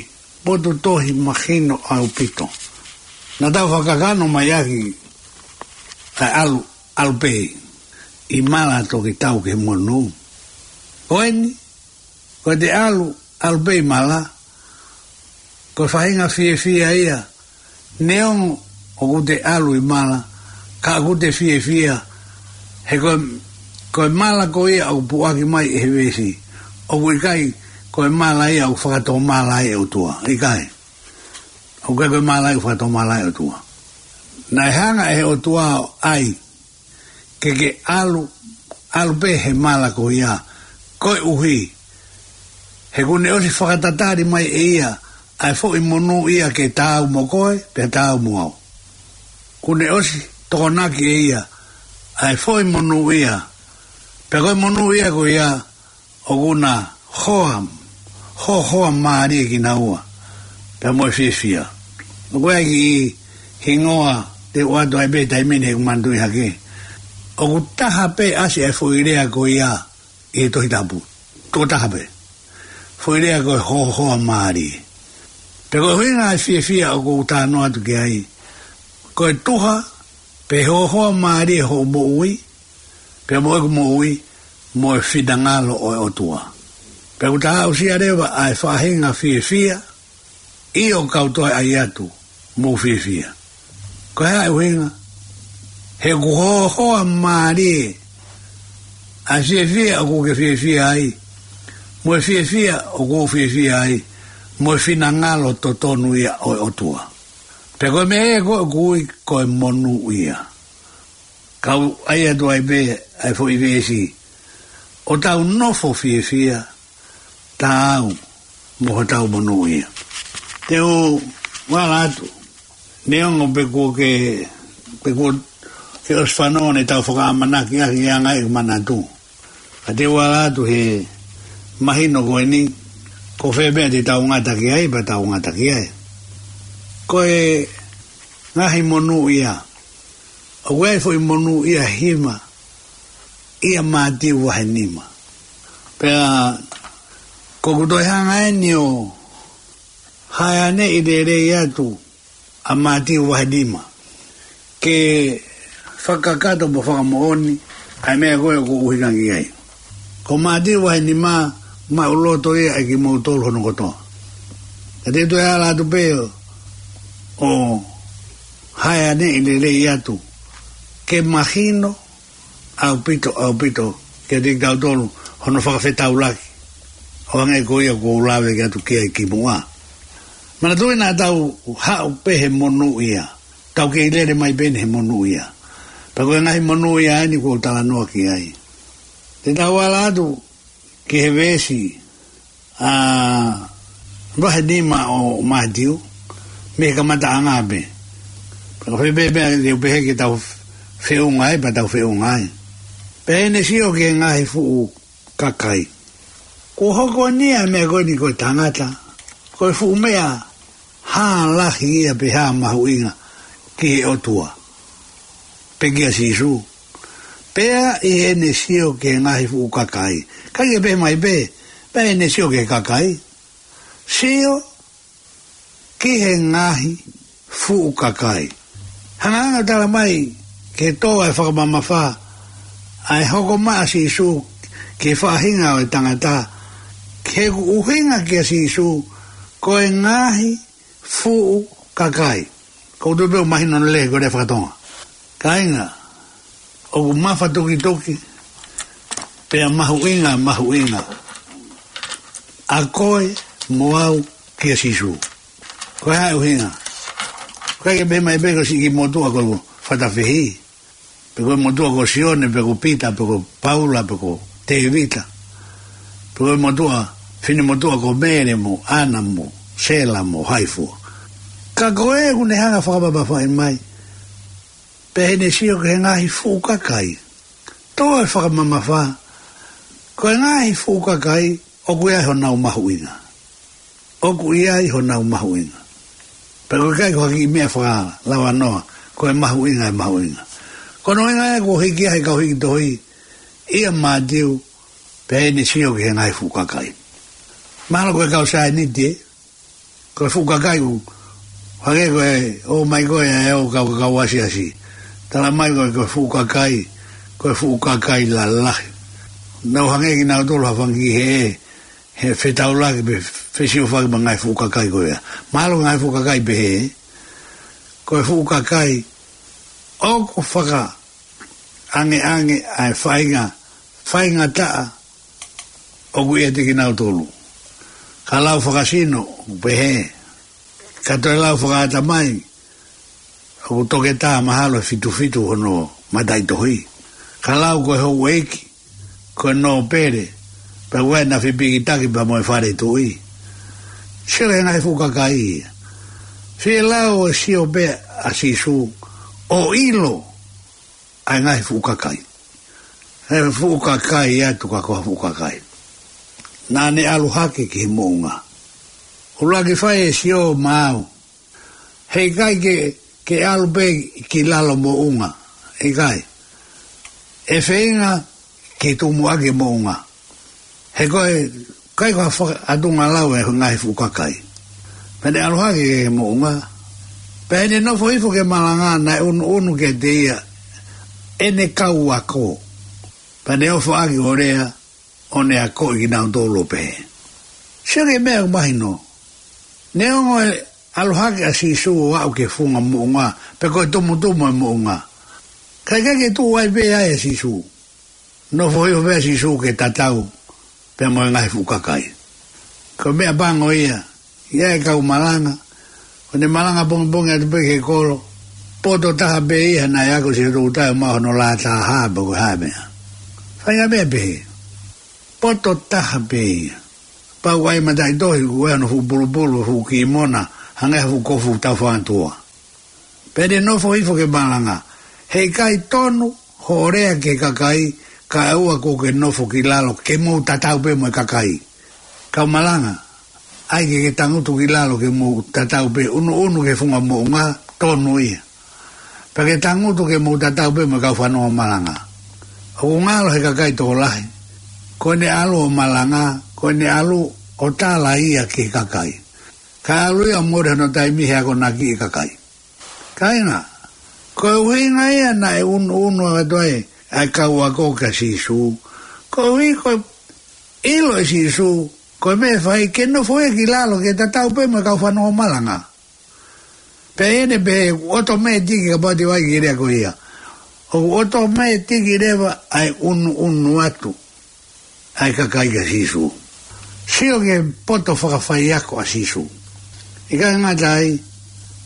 potu tohi mahino ʻaupito. Naʻa tau fakakakano mai ʻaki ʻa e ʻalu, ʻalu pē ʻi mala toki tau ki he monū. Ko eni, ko e te ʻalu, ʻalu pē ʻi mala, ko e faʻahinga fiefia ia, neongo ʻoku te ʻalu ʻi mala, ka ʻoku te fiefia, he ko e, ko e mala ko ia ʻoku puʻaki mai ʻe he veesi, ʻoku ʻikai ko e mala ia ʻoku fakatomala ai e ʻOtua, ʻikai. ʻOku ʻikai ko e mala ia ʻoku fakatomala ai e ʻOtua. Naʻe hanga ʻe he ʻOtua ʻo ʻai ke ke ʻalu, ʻalu pē he mala ko ia, koeʻuhi he kuo ne ʻosi fakatatali mai ʻe ia ʻa e foʻi monūʻia ke taau mo koe, pea taau mo au. Kuo ne ʻosi tokonaki ʻe ia ʻa e foʻi monūʻia, pea ko e monūʻia ko ia, ʻoku na hoa, hohoa mālie kinaua, pea mo e fiefia. ʻOku ʻi ai e kiʻi hingoa te u ʻoatu ai pē taimi ni he ʻoku manatuʻi hake. ʻOku taha pē ʻasi ʻa e foʻi lea ko ia ʻi he Tohi Tapu. Toko taha pē. Foʻi lea ko e hohoa mālie. Pea ko e ʻuhinga e fiefia ʻoku ou talanoa atu ki ai, ko e tuha, pe hohoa mālie hoʻo moʻui, pea mo ʻeku moʻui, mo e finangalo ʻo e ʻOtua. Pea ʻoku ta aʻusia leva ʻa e faʻahinga fiefia, ʻio kau toe ʻai atu, mou fiefia. Ko e hā e ʻuhinga? He ʻoku hohoa mālie ʻa e fiefia ʻoku ke fiefia ai, mo e fiefia ʻoku ou fiefia ai, mo e finangalo totonu ia ʻo e ʻOtua. Pea ko e meʻa ia ko ē ʻoku ui ko e monūʻia. Kau ʻai atu ai pē ʻa e foʻi veesi, ʻo tau nofo fiefia, taau mo hotau monūʻia. Te u vala atu, neongo pe kuo ke, pe kuo ke ʻosi fanongo ne tau fakaʻamanaki ʻaki e anga ʻeku manatu. Ka te u ala atu he mahino ko eni, ko fē meʻa te tau ngata ki ai, pea tau ngata ki ai. Ko e ngaahi monūʻia, ʻoku ʻi ai e foʻi monūʻia hima ʻia Mātiu vahe nima. Pea ko ʻeku toe hanga eni ʻo hāʻele lelei atu ʻa Mātiu vahe nima ke fakakakato mo fakamoʻoni ʻa e meʻa ko ē ʻoku ou ʻuhinga ki ai. Ko Mātiu vahe nima, maʻuloto ia ʻe kimoutolu hono kotoa. Ka te u toe ala atu pē ʻo hāʻele lelei atu ke mahino ʻaupito, ʻaupito kiate kitautolu hono fakafetaulaki, ʻo hangē ko ia ʻoku ou lave atu ki ai kimuʻa. Manatuʻi naʻa tau haʻu pē he monūʻia, tau kei lele mai pē eni he monūʻia. Pea ko e ngaahi monūʻia eni ʻoku ou talanoa ki ai. Te tau ala atu ki he veesi, ʻa, vahe nima ʻo Mātiu, mei he kamataʻanga pē. Pea ko fē pē meʻa te u pehē ke tau feʻunga ai, pea tau feʻunga ai. Pea ʻi heʻene sio ki he ngaahi fuʻu kakai, kuo hoko eni ʻa e meʻa ko eni ko e tangata ko e fuʻu meʻa hā lahi ia pe hā mahuʻinga ki he ʻOtua, pe kia Sīsū. Pea ʻi heʻene sio ki he ngaahi fuʻu kakai. ʻIkai ke pehē mai pē, pea ʻi heʻene sio ki he kakai. Sio ki he ngaahi fuʻu kakai. Hanga ʻo tala mai ke tō ʻa e fakamamafa ʻa e hoko mai ʻa Sīsū ki he faʻahinga ʻo e tangata, ki heʻeku ʻuhinga kia Sīsū ko e ngaahi fuʻu kakai. ʻOku ou tui pē ʻoku mahino lelei ko e lea faka-Tonga. Kāinga, ʻoku mafatukituki pea mahuʻinga, mahuʻinga ʻa koe mo au kia Sīsū. Ko e hā e ʻuhinga? ʻIkai ke pehē mai pē ko e siʻi kiʻi motuʻa ko Fatafehi, pe ko e motuʻa ko Sione, pe ko Pita, pe ko Paula, pe ko Tēvita, pe ko e motuʻa, finemotuʻa ko Mele mo ʻAna mo Sela mo hai fua. Ka ko ē ʻoku ne hanga ʻo fakamamafaʻi mai, pea ʻi heʻene sio ki he ngaahi fuʻu kakai, tō e fakamamafa, ko e ngaahi fuʻu kakai ʻoku ʻi ai honau mahuʻinga. ʻOku ʻi ai honau mahuʻinga. Pea ʻoku ʻikai ko ha kiʻi meʻa fakalauanoa, ko e mahuʻinga, e mahuʻinga. Ko hono ʻuhinga ia kuo hiki ai e kau hiki tohi ʻia Mātiu, pea ʻi heʻene sio ki he ngaahi fuʻu kakai. Mahalo ko e kau saieniti, ē? Ko e fuʻu kakai ʻoku hangē ko e, ʻomai ko ē ʻa e ʻū kau, kau asiasi. Tala mai ko e, ko e fuʻu kakai, ko e fuʻu kakai lalahi. Nau hangē kinautolu ha fanga kiʻi hē, he fetaulaki pe fesiofaki mo e ngaahi fuʻu kakai ko ia. Mahalo ngaahi fuʻu kakai pehē, ko e fuʻu kakai ʻoku fakaangeange ʻa e faʻahinga, faingataʻa ʻoku ʻiate kinautolu. Ka lau fakasino, ʻoku pehē. Ka toe lau fakaʻatamai, ʻoku toketā mahalo ʻe fitu fitu hono mataʻitohi. Ka lau ko e houʻeiki, ko e nōpele, pea ʻoku ʻi ai ʻena fepikitaki pea mo e fale tuʻi. Sio ki he ngaahi fuʻu kakai ia. Fie lau ʻe sio pē ʻa Sīsū ʻo ʻilo ʻa e ngaahi fuʻu kakai. He fuʻu kakai atu ka ko ha fuʻu kakai. Naʻa ne ʻalu hake ki he moʻunga. ʻUluaki fai e sio maau. Heʻikai ke, ke ʻalu pē ki lalo moʻunga. ʻIkai. ʻE feinga ke tumuʻaki e moʻunga. He ko e, ʻikai ko ha faka-, ʻatunga lau e ngaahi fuʻu kakai. Pea ne ʻalu hake ki he moʻunga. Pea ʻi heʻene nofo hifo ke malanga naʻe ʻunuʻunu kiate ia ʻene kau ako. Pea ne ʻofaʻaki ʻo lea, ʻo ne akoʻi kinautolu ʻo pehē. Sio ki he meʻa ʻoku mahino. Neongo e ʻalu hake ʻa Sīsū ʻo aʻu ki he funga moʻunga, pe ko e tumutumu e moʻunga, ka ʻikai ke tuʻu ai pē ai ʻa Sīsū. Nofo hifo pē ʻa Sīsū ke tatau pea mo e ngaahi fuʻu kakai. Ko e meʻa pango ia, ʻi ai e kau malanga, ʻo ne malanga pongipongi atu pē ki he kolo, poto taha pē ia naʻe ako siʻi toutai ʻo maʻu hono lā taha pe ko e hā e meʻa. Faʻahinga meʻa pehē. Poto taha pē ia. Pau ai mataʻitohi, ʻoku ʻi ai hono fuʻu pulupulu, fuʻu kimona, hangē ha fuʻu kofu taufangatua. Pea ne nofo hifo ke malanga. Heʻikai tonu hoʻo lea ki he kakai, kae ʻoua kuo ke nofo ki lalo ke mou tatau pē mo e kakai. Kau malanga, ʻai ke ke tangutu ki lalo ke mou tatau pē, ʻunuʻunu ki he funga moʻunga, tonu ia. Pea ke tangutu ke mou tatau pē mo e kau fanongo malanga. ʻOku ngalo he kakai tokolahi, ko ʻene ʻalu ʻo malanga, ko ʻene ʻalu ʻo tala ia ki he kakai. Kae ʻalu ia ʻo mole hono taimi he akonaki e kakai. Kāinga, ko e ʻuhinga ia naʻe ʻunuʻunu atu ai ʻa e kau ako kia Sīsū. Koeʻuhi ko e ʻilo ʻe Sīsū, ko e meʻa ʻe fai ke nofo ia ki lalo ke tatau pē mo e kau fanongo malanga. Pea ʻi heʻene pehē ʻoku ʻotomētiki, kapau te u ʻai ki he lea ko ia, ʻoku ʻotomētiki leva ʻa e ʻunuʻunu atu ʻa e kakai kia Sīsū. Sio ki he poto fakafaiako ʻa Sīsū. ʻIkai ngata ai,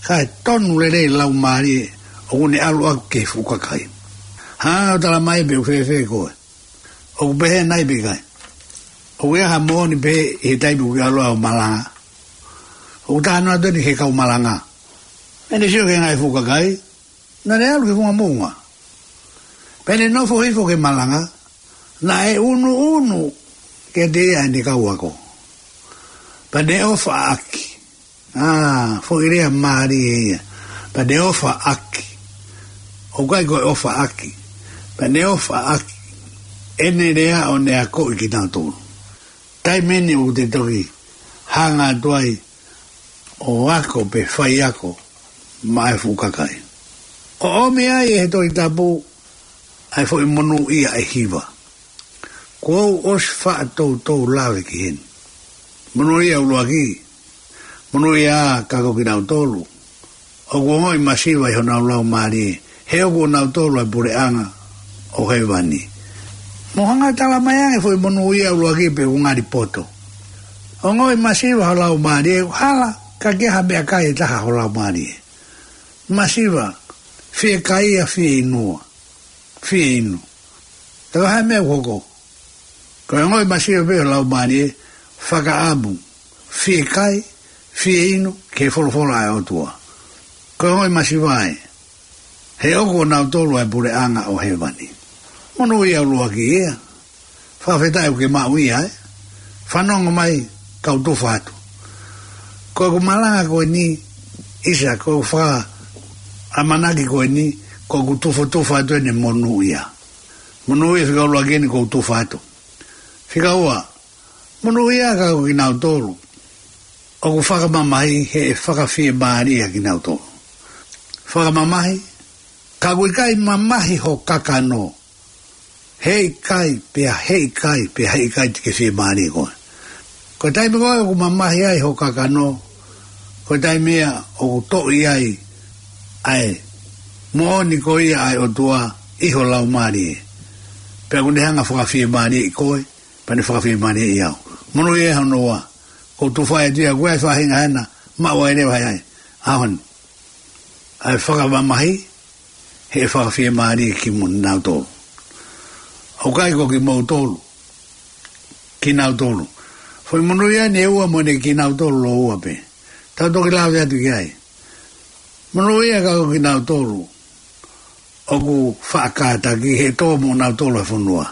kae tonu lelei laumālie ʻoku ne ʻalu ʻaki ki he fuʻu kakai. Hanga ʻo tala mai pe ʻoku fēfē koe. ʻOku pehē nai pe ʻikai? ʻOku ʻi ai ha moʻoni pē ʻi he taimi ʻoku ke ʻalu ai ʻo malanga? ʻOku talanoa atu eni ki he kau malanga. Pea ne sio ki he ngaahi fuʻu kakai, naʻa ne ʻalu ki he funga moʻunga. Pea ne nofo hifo ki he malanga, naʻe ʻunuʻunu kiate ia ʻene kau ako. Pea ne ʻofa ʻaki. ʻA, foʻi lea mālie ia. Pea ne ʻofa ʻaki. ʻOku ʻikai ko e ʻofa ʻaki. Pea ne ʻofa ʻaki ʻene lea ʻo ne akoʻi kinautolu. Taimi eni ʻoku te toki hanga atu ai ʻo ako pe faiako maʻa e fuʻu kakai. ʻOku ʻomi ai ʻe he Tohi Tapu ʻa e foʻi monūʻia ʻe hiva. Kuo u ʻosi faʻa toutou lave ki heni. Monūʻia ʻuluaki. Monūʻia ā ka ko kinautolu ʻoku ongoʻi masiva ʻi honau laumālie, he ʻoku ʻonautolu ʻa e puleʻanga ʻo hēvani. Mou hanga ʻo tala mai ange foʻi monūʻia ʻuluaki pe ʻoku ngali poto. Ongoʻi masiva ho laumālie, hala ka ke ha meʻakai ʻe taha ho laumālie. Masiva, fiekaia, fieinua, fieinu. Ka ko e hā e meʻa ʻoku hoko? Ko e ongoʻi masiva pē ho laumālie, fakaʻamu, fiekai, fieinu ki he folofola ʻa e ʻOtua. Ko e ongoʻi masiva ē, he ʻoku ʻonautolu ʻa e puleʻanga ʻo hēvani. Monūʻia ʻuluaki ia. Fakafetaʻi ʻoku ke maʻu ia ē. Fanongo mai, kau tufa atu. Ko ʻeku malanga ko eni, ʻisa, ko ʻeku fakaʻamanaki ko eni, ko ʻeku tufotufa atu eni e monūʻia. Monūʻia fika ʻuluaki eni, ko ʻeku tufa atu. Fika ua, monūʻia ka ko kinautolu ʻoku fakamamahi, he ʻe fakafiemālie kinautolu. Fakamamahi, ka ʻoku ʻikai mamahi ho kakano, heʻikai, pea heʻikai, pea heʻikai te ke fiemālie koe. Ko e taimi ko ē ʻoku mamahi ai ho kakano, ko e taimi ia ʻoku toʻi ai ʻa e moʻoni ko ia ʻa e ʻOtua ʻi ho laumālie. Pea ʻoku ne hanga ʻo fakafiemālieʻi koe, pea ne fakafiemālieʻi au. Monūʻia hono ua. Ko e tufa atu ia, ko e faʻahinga ena, maʻu ai leva ai. ʻAho ni. ʻA e fakamamahi, he ʻe fakafiemālie kimoutolu. ʻOku ʻikai ko kimoutolu. Kinautolu. Foʻi monūʻia eni ʻe ua mo ʻene kinautolu ʻe ua pē. Tau toki lave atu ki ai. Monūʻia ka ko kinautolu ʻoku faʻa kātaki, he ʻe tō mo nautolu ʻa e fonua.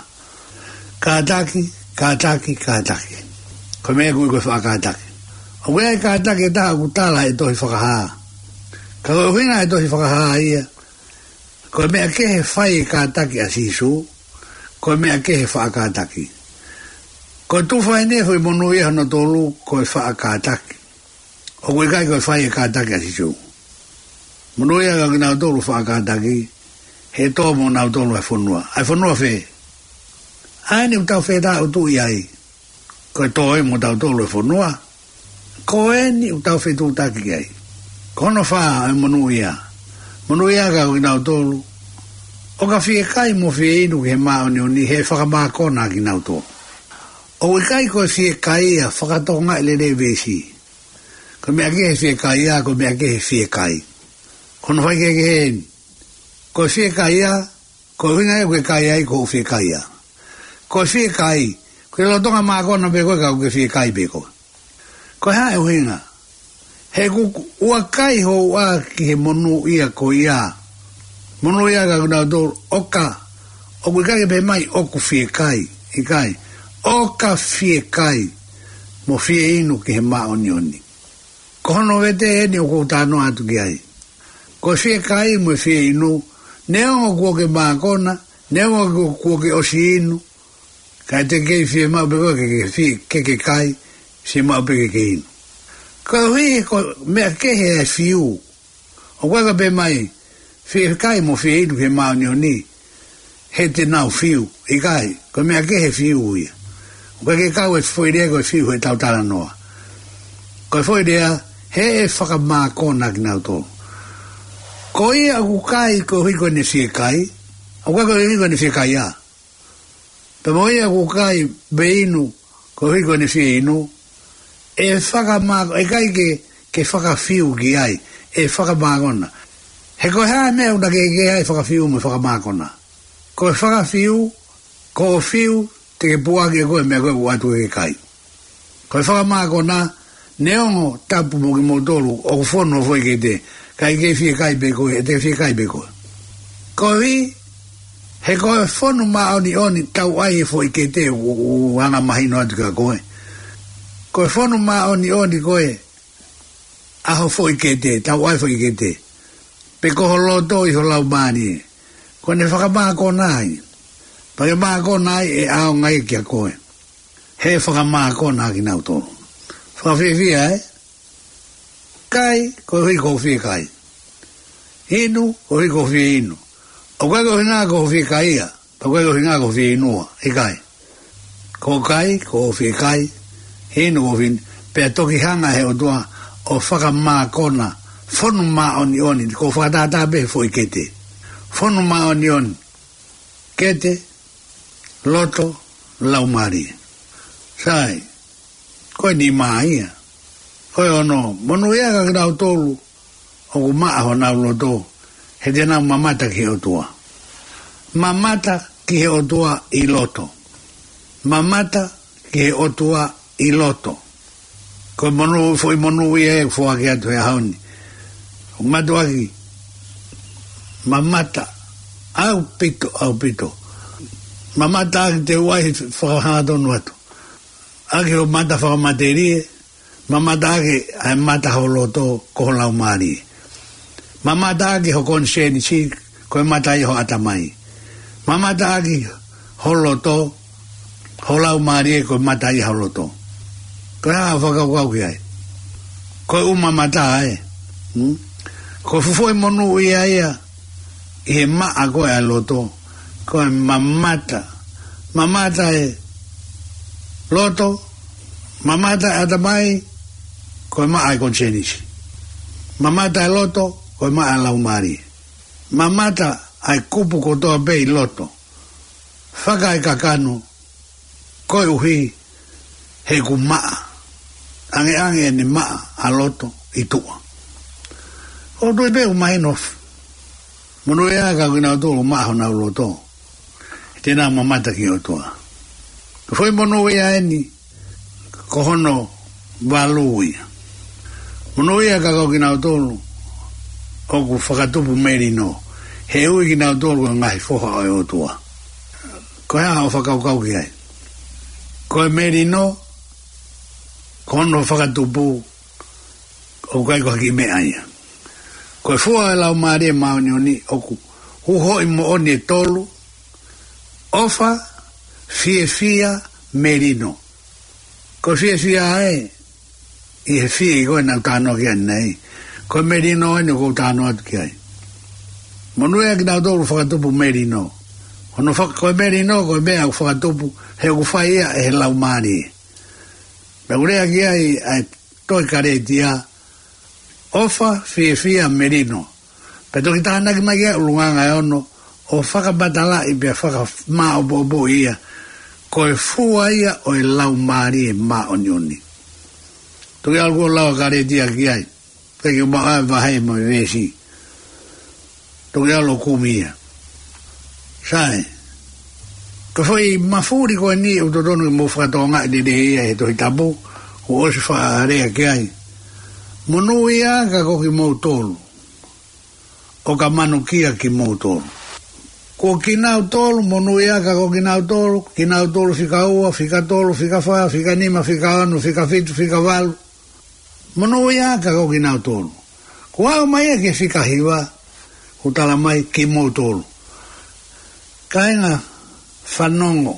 Kātaki, kātaki, kātaki. Ko e meʻa ʻoku ui ko e faʻa kātaki. ʻOku ʻi ai e kātaki ʻe taha ʻoku tala ʻe he Tohi Fakahā. Ka ko e ʻuhinga ʻe he Tohi Fakahā ia, ko e meʻa kehe fai e kātaki ʻa Sīsū, ko e meʻa kehe faʻa kātaki. Ko e tufa eni e foʻi monūʻia hono tolu, ko e faʻa kātaki. ʻOku ʻikai ko e fai e kātaki ʻa Sīsū. Monūʻia ka ko kinautolu faʻa kātaki, he ʻe tō mo nautolu ʻa e fonua. ʻA e fonua fē? ʻA eni ʻoku tau fetāʻutuʻi ai. Ko e tō ē mo tautolu e fonua. Ko eni ʻoku tau fetuʻutaki ai. Ko hono fā ʻa e monūʻia. Monūʻia ka ko kinautolu ʻoka fiekai mo fieinu ki he māʻoniʻoni, he ʻe fakamākona kinautolu. ʻOku ʻikai ko e fiekaia, fakatokangaʻi lelei e veesi. Ko e meʻa kehe fiekaia, ko e meʻa kehe fiekai. Ko hono faikehekehe eni. Ko e fiekaia, ko e ʻuhinga ia ʻoku ke kai ai, ko hoʻo fiekaia. Ko e fiekai, ko e lolotonga mākona pē koe ka ʻoku ke fiekai pē koe. Ko e hā e ʻuhinga? He ʻoku ʻuakai hoʻo ʻā ki he monūʻia ko ia. Monūʻia ka ko kinautolu ʻoka ʻOku ʻikai ke pehē mai ʻoku fie kai, ʻikai. ʻOka fie kai mo fie inu ki he māʻoniʻoni. Ko hono vete eni ʻoku ou talanoa atu ki ai. Ko e fie kai mo e fie inu, neongo kuo ke mākona, neongo kuo, kuo ke ʻosi inu, kae te kei fie maʻu pē koe ke, ke fie, ke, ke kai, fie maʻu pē ke, ke inu. Koeʻuhi he ko e meʻa kehe e fiu. ʻOku ʻikai ke pehē mai, fie kai mo fie inu ki he māʻoniʻoni, he te nau fiu, ʻikai, ko e meʻa kehe e fiu ia. ʻOku ʻikai ke kau e foʻi lea ko e fiu he tau talanoa. Ko e foʻi lea, he ʻe fakamākona kinautolu. Ko ia ʻoku kai koeʻuhi ko ʻene fie kai, ʻoku ʻikai koeʻuhi ko ʻene fie kai ia. Pea mo ia ʻoku kai pe inu koeʻuhi ko ʻene fie inu, ʻe fakamā-, ʻikai ke, ke fakafiu ki ai, ʻe fakamākona. He ko e hā e meʻa ʻoku na ke, ke ai fakafiu mo fakamākona. Ko e fakafiu, ko hoʻo fiu, te ke puʻaki ʻe koe e meʻa ko ē ʻoku ʻoatu ke kai. Ko e fakamākona, neongo tapu mo kimoutolu, ʻoku fonu hoʻo foʻi kete, kae kei fie kai pē koe, ʻe te fie kai pē koe. Koeʻuhi, he ko e fonu māʻoniʻoni tau ʻai e foʻi kete ʻoku, ʻoku angamahino atu kia koe. Ko e fonu māʻoniʻoni ko ē ʻa ho foʻi kete, tau ʻai foʻi kete. Pe ko ho loto ʻi ho laumālie. Ko ʻene fakamākona ai. Pea ke mākona ai ʻe ʻaonga ia kia koe. He fakamākona kinautolu. Fakafiefia, ē? Kai, koeʻuhi ko hoʻo fie kai. Inu, koeʻuhi ko hoʻo fie inu. ʻOku ʻikai ko hoʻo ʻuhinga ko hoʻo fie kai ia. Pea ʻoku ʻikai ko hoʻo ʻuhinga ko hoʻo fie inu ia. ʻIkai. Ko e kai, ko hoʻo fie kai. Inu, ko hoʻo fie inu. Pea toki hanga he ʻOtua ʻo fakamākona. Fonu māʻoniʻoni. Ko e fakatātā pē he foʻi kete. Fonu māʻoniʻoni. Kete, loto, laumālie. Sai, ko e nima ia. Ko e ono, monūʻia ʻa kinautolu ʻoku maʻa honau loto, he te nau mamata ki he ʻOtua. Mamata ki he ʻOtua ʻi loto. Mamata ki he ʻOtua ʻi loto. Ko e monū, foʻi monūʻia ʻe foaki atu he ʻaho ni. ʻOku mātuʻaki mamata ʻaupito, ʻaupito. Mamata ʻaki te u ʻai fakahangatonu atu. ʻAki hoʻo mata fakamatelie, mamata ʻaki ʻa e mata ho loto ko ho laumālie. Mamata ʻaki ho konisēnisi, ko e mata ia ho ʻatamai. Mamata ʻaki ho loto, ho laumālie, ko e mata ia ho loto. Ko e hā hoʻo fakakaukau ki ai? Ko e ʻū mamata ē. Hmm? Ko e fuʻu foʻi monūʻia ia ʻi he maʻa ko ē ʻa e loto. Ko e mamata. Mamata e loto, mamata e ʻatamai, ko e maʻa e konisēnisi. Mamata e loto, ko e maʻa e laumālie. Mamata ʻa e kupu kotoa pē ʻi loto. Fakaekakano, koeʻuhi he ʻoku maʻa. ʻAngeʻange ʻene maʻa ʻa loto ʻi tuʻa. ʻOku ou tui pē ʻoku mahino. Monūʻia ʻa kinautolu ʻoku maʻa honau loto. He te nau mamata ki he ʻOtua. Ko e foʻi monūʻia eni, ko hono valu ia. Monūʻia ʻa kinautolu ʻoku fakatupu melino. He ui kinautolu ko e ngaahi foha ʻo e ʻOtua. Ko e hā hoʻo fakakaukau ki ai? Ko e melino, ko hono fakatupu, ʻoku ʻikai ko ha kiʻi meʻa ia. Ko e fua ʻo e Laumālie Māʻoniʻoni ʻoku uhoʻi moʻoni ʻe tolu, ʻofa, fiefia, melino. Ko e fiefia ē, ʻi he fie ko ē naʻa ku talanoa ki ai ʻanenai. Ko e melino eni ʻoku ou talanoa atu ki ai. Monūʻia ʻa kinautolu fakatupu melino. Hono faka-, ko e melino, ko e meʻa ʻoku fakatupu, he ʻoku fai ia ʻe he Laumālie. Pea ʻoku lea ki ai ʻa e tohi Kalētia, ʻofa, fiefia, melino. Pea toki tānaki mai ki ai ʻulungaanga ʻe ono, ʻo fakamatalaʻi pea fakamāʻopoʻopo ia, ko e fua ia ʻo e Laumālie Māʻoniʻoni. Toki ʻalu ʻo lau ʻa Kalētia ki ai, pea ke u maʻu ʻa e vahe mo e veesi. Toki ʻalu ʻo kumi ia. Sai. Ko e foʻi mafuli ko eni ʻoku totonu ke mou fakatokangaʻi lelei ia he Tohi Tapu, kuo ʻosi faʻa lea ki ai. Monūʻia ʻa kimoutolu ʻoka manukia kimoutolu. Ko kinautolu, monūʻia ā ka ko kinautolu, kinautolu fika ua, fika tolu, fika fā, fika nima, fika ono, fika fitu, fika valu. Monūʻia ā ka ko kinautolu. Kuo aʻu mai ia ki he fika hiva, ʻoku tala mai kimoutolu. Kāinga, fanongo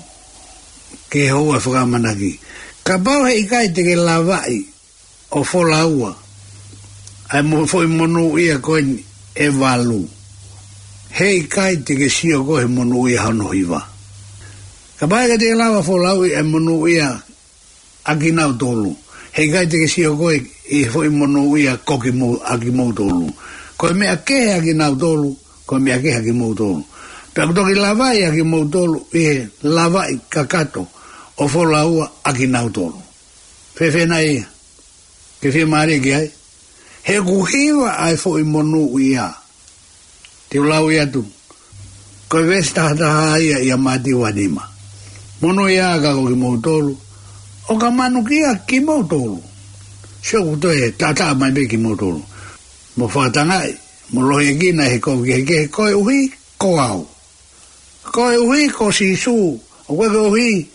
ki he houa fakaʻamanaki. Kapau heʻikai te ke lavaʻi ʻo folau ʻa e mo-, foʻi monūʻia ko eni ʻe valu, heʻikai te ke sio koe he monūʻia hono hiva. Kapau heʻikai te ke lava folau ʻa e monūʻia ʻa kinautolu, heʻikai te ke sio koe ʻi he foʻi monūʻia ko kimou-, ʻa kimoutolu. Ko e meʻa kehe ʻa kinautolu, ko e meʻa kehe ʻa kimoutolu. Pea ʻoku toki lavaʻi ʻa kimoutolu ʻi he lavaʻi kakato ʻo folau ʻa kinautolu. Fēfē nai ia? Ke fiemālie ki ai? He ʻoku hiva ʻa e foʻi monūʻia. Te u lau atu. Ko e veesi taha taha ia ʻia Mātiu ua nima. Monūʻia ā ka ko kimoutolu, ʻo ka manukia kimoutolu. Sio ʻoku toe taʻataʻa mai pē kimoutolu. Mo fakatangaʻi, mo lohiekina ʻi he kovi kehekehe koeʻuhi ko au. Koeʻuhi ko Sīsū, ʻoku ʻikai koeʻuhi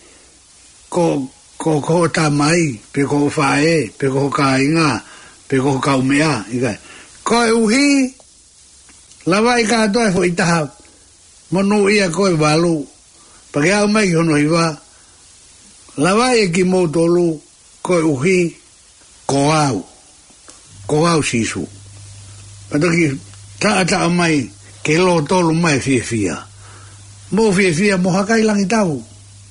ko, ko, ko hoʻo tamai, pe ko hoʻo faʻē, pe ko ho kāinga, pe ko ho kaumeʻa, ʻikai. Koeʻuhi, lavaʻi kātoa e foʻi taha monūʻia ko ē ʻe valu, pea ke aʻu mai ki hono hiva, lavaʻi ʻe kimoutolu, koeʻuhi ko au, ko au Sīsū. Pea toki taʻataʻa mai ke lōtolu mai fiefia. Mou fiefia mo hakai langi tau,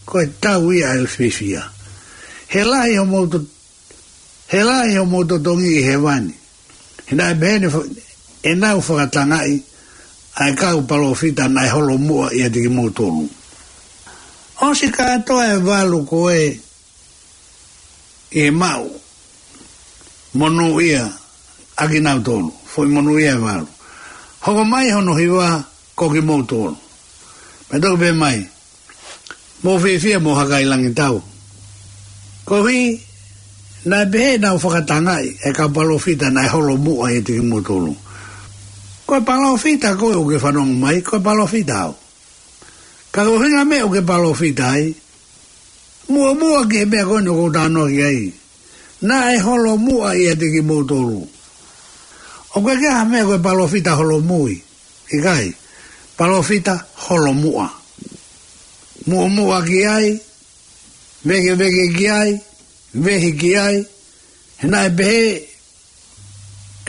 ko e tau ia ʻa e fiefia. He lahi homou to-, he lahi homou totongi ʻi hēvani. He naʻe pehē ni fo-, ʻenau fakatangaʻi ʻa e kau palōfita naʻe holomuʻa ʻiate kimoutolu. ʻOsi kātoa e valu ko ē ʻi he maʻu monūʻia ʻa kinautolu, foʻi monūʻia ʻe valu. Hoko mai hono hiva ko kimoutolu. Pea toki pehē mai, mou fiefia mo hakai langi tau. Koeʻuhi, naʻe pehē ʻenau fakatangaʻi e kau palōfita naʻe holomuʻa ʻiate kimoutolu. Ko e palōfita koe ʻoku ke fanongo mai, ko e palōfita au. Ka ko e ʻuhinga meʻa ʻoku ke palōfita ai, muʻomuʻa ki he meʻa ko eni ʻoku ou talanoa ki ai. Naʻe holomuʻa ʻiate kimoutolu. ʻOku ʻikai ha meʻa ko e palōfita holomui. ʻIkai. Palōfita holomuʻa. Muʻomuʻa ki ai, vēkeveke ki ai, vehi ki ai, he naʻe pehē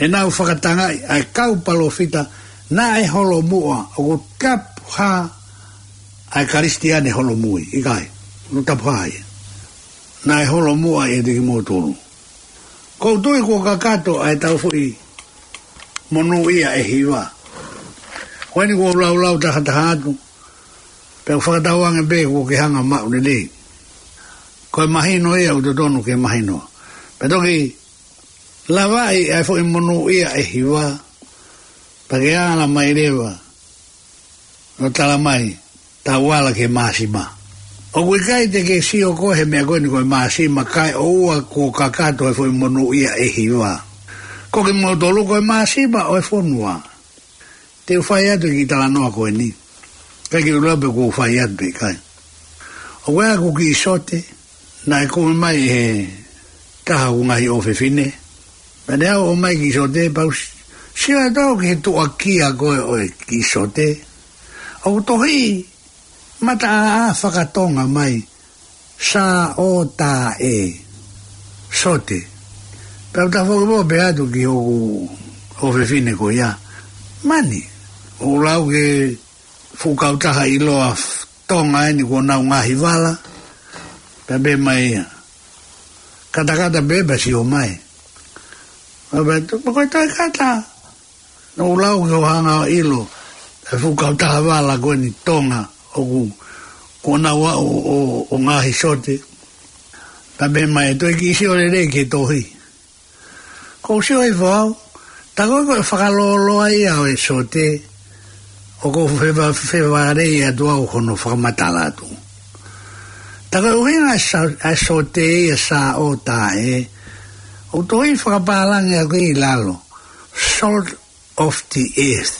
ʻenau fakatangaʻi ʻa e kau palōfita naʻe holomuʻa. ʻOku tapu hā ʻa e Kalisitiane holomui, ʻikai. ʻOku tapu hā ia. Naʻe holomuʻa ʻiate kimoutolu. ʻOku ou tui kuo kakato ʻa e tau foʻi monūʻia ʻe hiva. Ko eni kuo u laulau taha taha atu, pea u fakatauange pē kuo ke hanga maʻu lelei. Ko e mahino ia ʻoku totonu ke mahino. Pea toki lavaʻi ʻa e foʻi monūʻia ʻe hiva, pea ke ala mai leva ʻo tala mai, tau ala ki he māsima. ʻOku ʻikai te ke sio koe he meʻa ko eni ko e māsima, kae ʻoua kuo kakato e foʻi monūʻia ʻe hiva. Ko kimoutolu ko e māsima ʻo e fonua. Te u fai atu e kiʻi talanoa ko eni. ʻIkai ke u lau pe kuo u fai atu pe ʻikai. ʻOku ʻi ai haʻaku kiʻi sote, naʻe kumi mai ʻe he taha ʻo e ngaahi ʻofefine. Pea ne ʻomai e kiʻi sote, pea u s-, sio atu au ki he tuʻakia ko ē ʻo e kiʻi sote. ʻOku tohi mataʻāʻā faka-Tonga mai, Sā ʻo tā ē, sote. Pea u tafoki mo pehē atu ki hoku ʻofefine ko ia, mani, ʻoku lau ke fuʻu kautaha ʻiloa f-, Tonga eni kuo nau ngaahi vala. Pea pehē mai ia, katakata pē pea sio mai. Pea pehē, ko e toe kata. Naʻa ku lau ke u hanga ʻo ʻilo e fuʻu kautaha vala ko eni Tonga ʻoku, kuo nau aʻu ʻo, ʻo, ʻo ngaahi sote. Pea pehē mai, toe kiʻi sio lelei ki he tohi. Ko u sio hifo au, tā ko ē ko e fakalōloa ia ʻo e sote, ʻoku ou feva-, fevahevaheʻi atu au hono fakamatala atu. Tā ko e ʻuhinga e sa-, e sote ia Sā ʻo tā ē, ʻoku tohi fakapālangi ʻaki ʻi lalo, salt of the earth.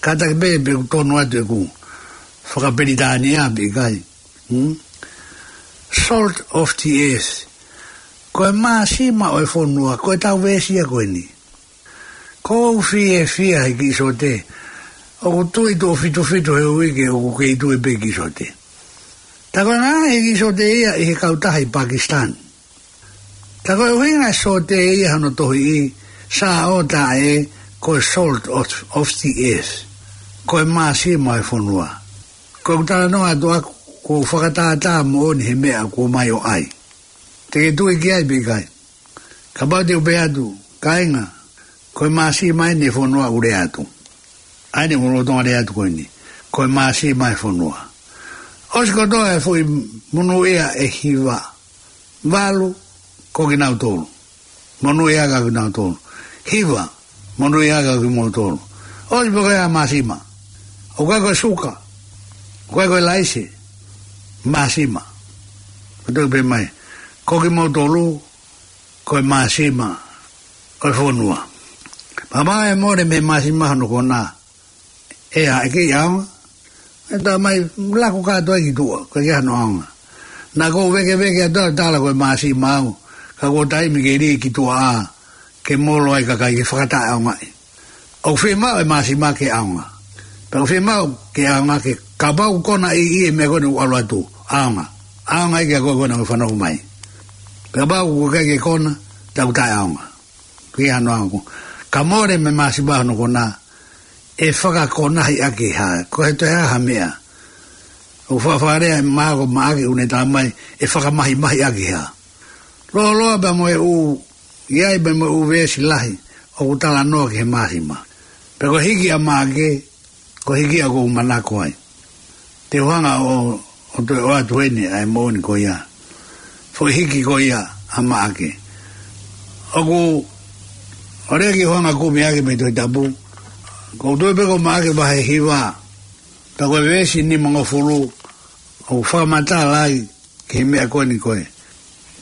Kātaki pē pe ʻoku tonu atu ʻeku fakapelitānia pe ʻikai. Hmm? Salt of the earth. Ko e māsima ʻo e fonua, ko e tau veesi ia ko eni. ʻOku ou fiefia he kiʻi sote. ʻOku tui tuʻo fitu fitu he uike, ʻoku kei tui pē kiʻi sote. Tā ko e ngaahi kiʻi sote ia ʻi he kautaha ʻi Pakistan. Tā ko e ʻuhinga e sote ia hono tohiʻi, sa o ta e, ko e salt of, of the earth. Ko e māsima ʻo e fonua. Ko ʻeku talanoa atu ʻaku, ʻoku fakatātā moʻoni he meʻa ʻoku ʻomai ʻo ʻai. Te ke tui ki ai pe ʻikai. Kapau te u pehē atu, kāinga, ko e māsima eni e fonua ʻoku lea atu. ʻA eni ʻoku lolotonga lea atu ko eni. Ko e māsima e fonua. ʻOsi kotoa e foʻi monūʻia ʻe hiva. Valu, ko kinautolu. Monūʻia ʻaki kinautolu. Hiva, monūʻia ʻaki kimoutolu. ʻOsi pē ko e māsima. ʻOku ʻikai ko e suka. ʻOku ʻikai ko e laise. Māsima. Ko e toki pehē mai. Ko kimoutolu, ko e māsima ʻo e fonua. Pea ʻe mole mei he māsima hono kona. ʻE ʻa, ʻe kei ʻaonga. ʻE tā mai, laku kātoa ki tuʻa, ko e kei hano ʻaonga. Naʻa ku vekeveke atu ʻo tala ko e māsima au, ka ko e taimi ke lī ki tuʻa ʻa, ke molo ai kakai ke fakataʻeʻaongaʻi. ʻOku fiemaʻu e māsima ke ʻaonga. Pea ʻoku fiemaʻu ke ʻaonga ke kapau kona ʻi, ʻi he meʻa ko eni ʻoku ʻalu atu, ʻaonga. ʻAonga ʻi he ko ē ko ena ʻoku fanongo mai. Kapau ʻoku ʻikai ke kona, tau taʻeʻaonga. Ko e hano ʻaonga. Ka mole mei he māsima hono kona, ʻe fakakonahi ʻaki ha, ko e toe ʻa ha meʻa. ʻOku fakalea mai ko Maʻake ʻoku ne tā mai, ʻe fakamahimahi ʻaki ha. Lōloa pea mo e ʻū, ʻi ai pea mo e ʻū veesi lahi, ʻoku talanoa ki he māsima. Pea ko e hiki ʻa Maʻake, ko e hiki ʻa ʻoku ou manako ai. Te u hanga ʻo, ʻo toe ʻoatu eni ʻa e moʻoni ko ia. Foʻi hiki ko ia ʻa Maʻake. ʻOku, ʻo lea ke u hanga kumi ʻaki mei he Tohi Tapu. ʻOku ou tui pē ko Maʻake vahe hiva. Pea ko e veesi nimangofulu. ʻOku fakamatala ai, ki he meʻa ko eni ko e.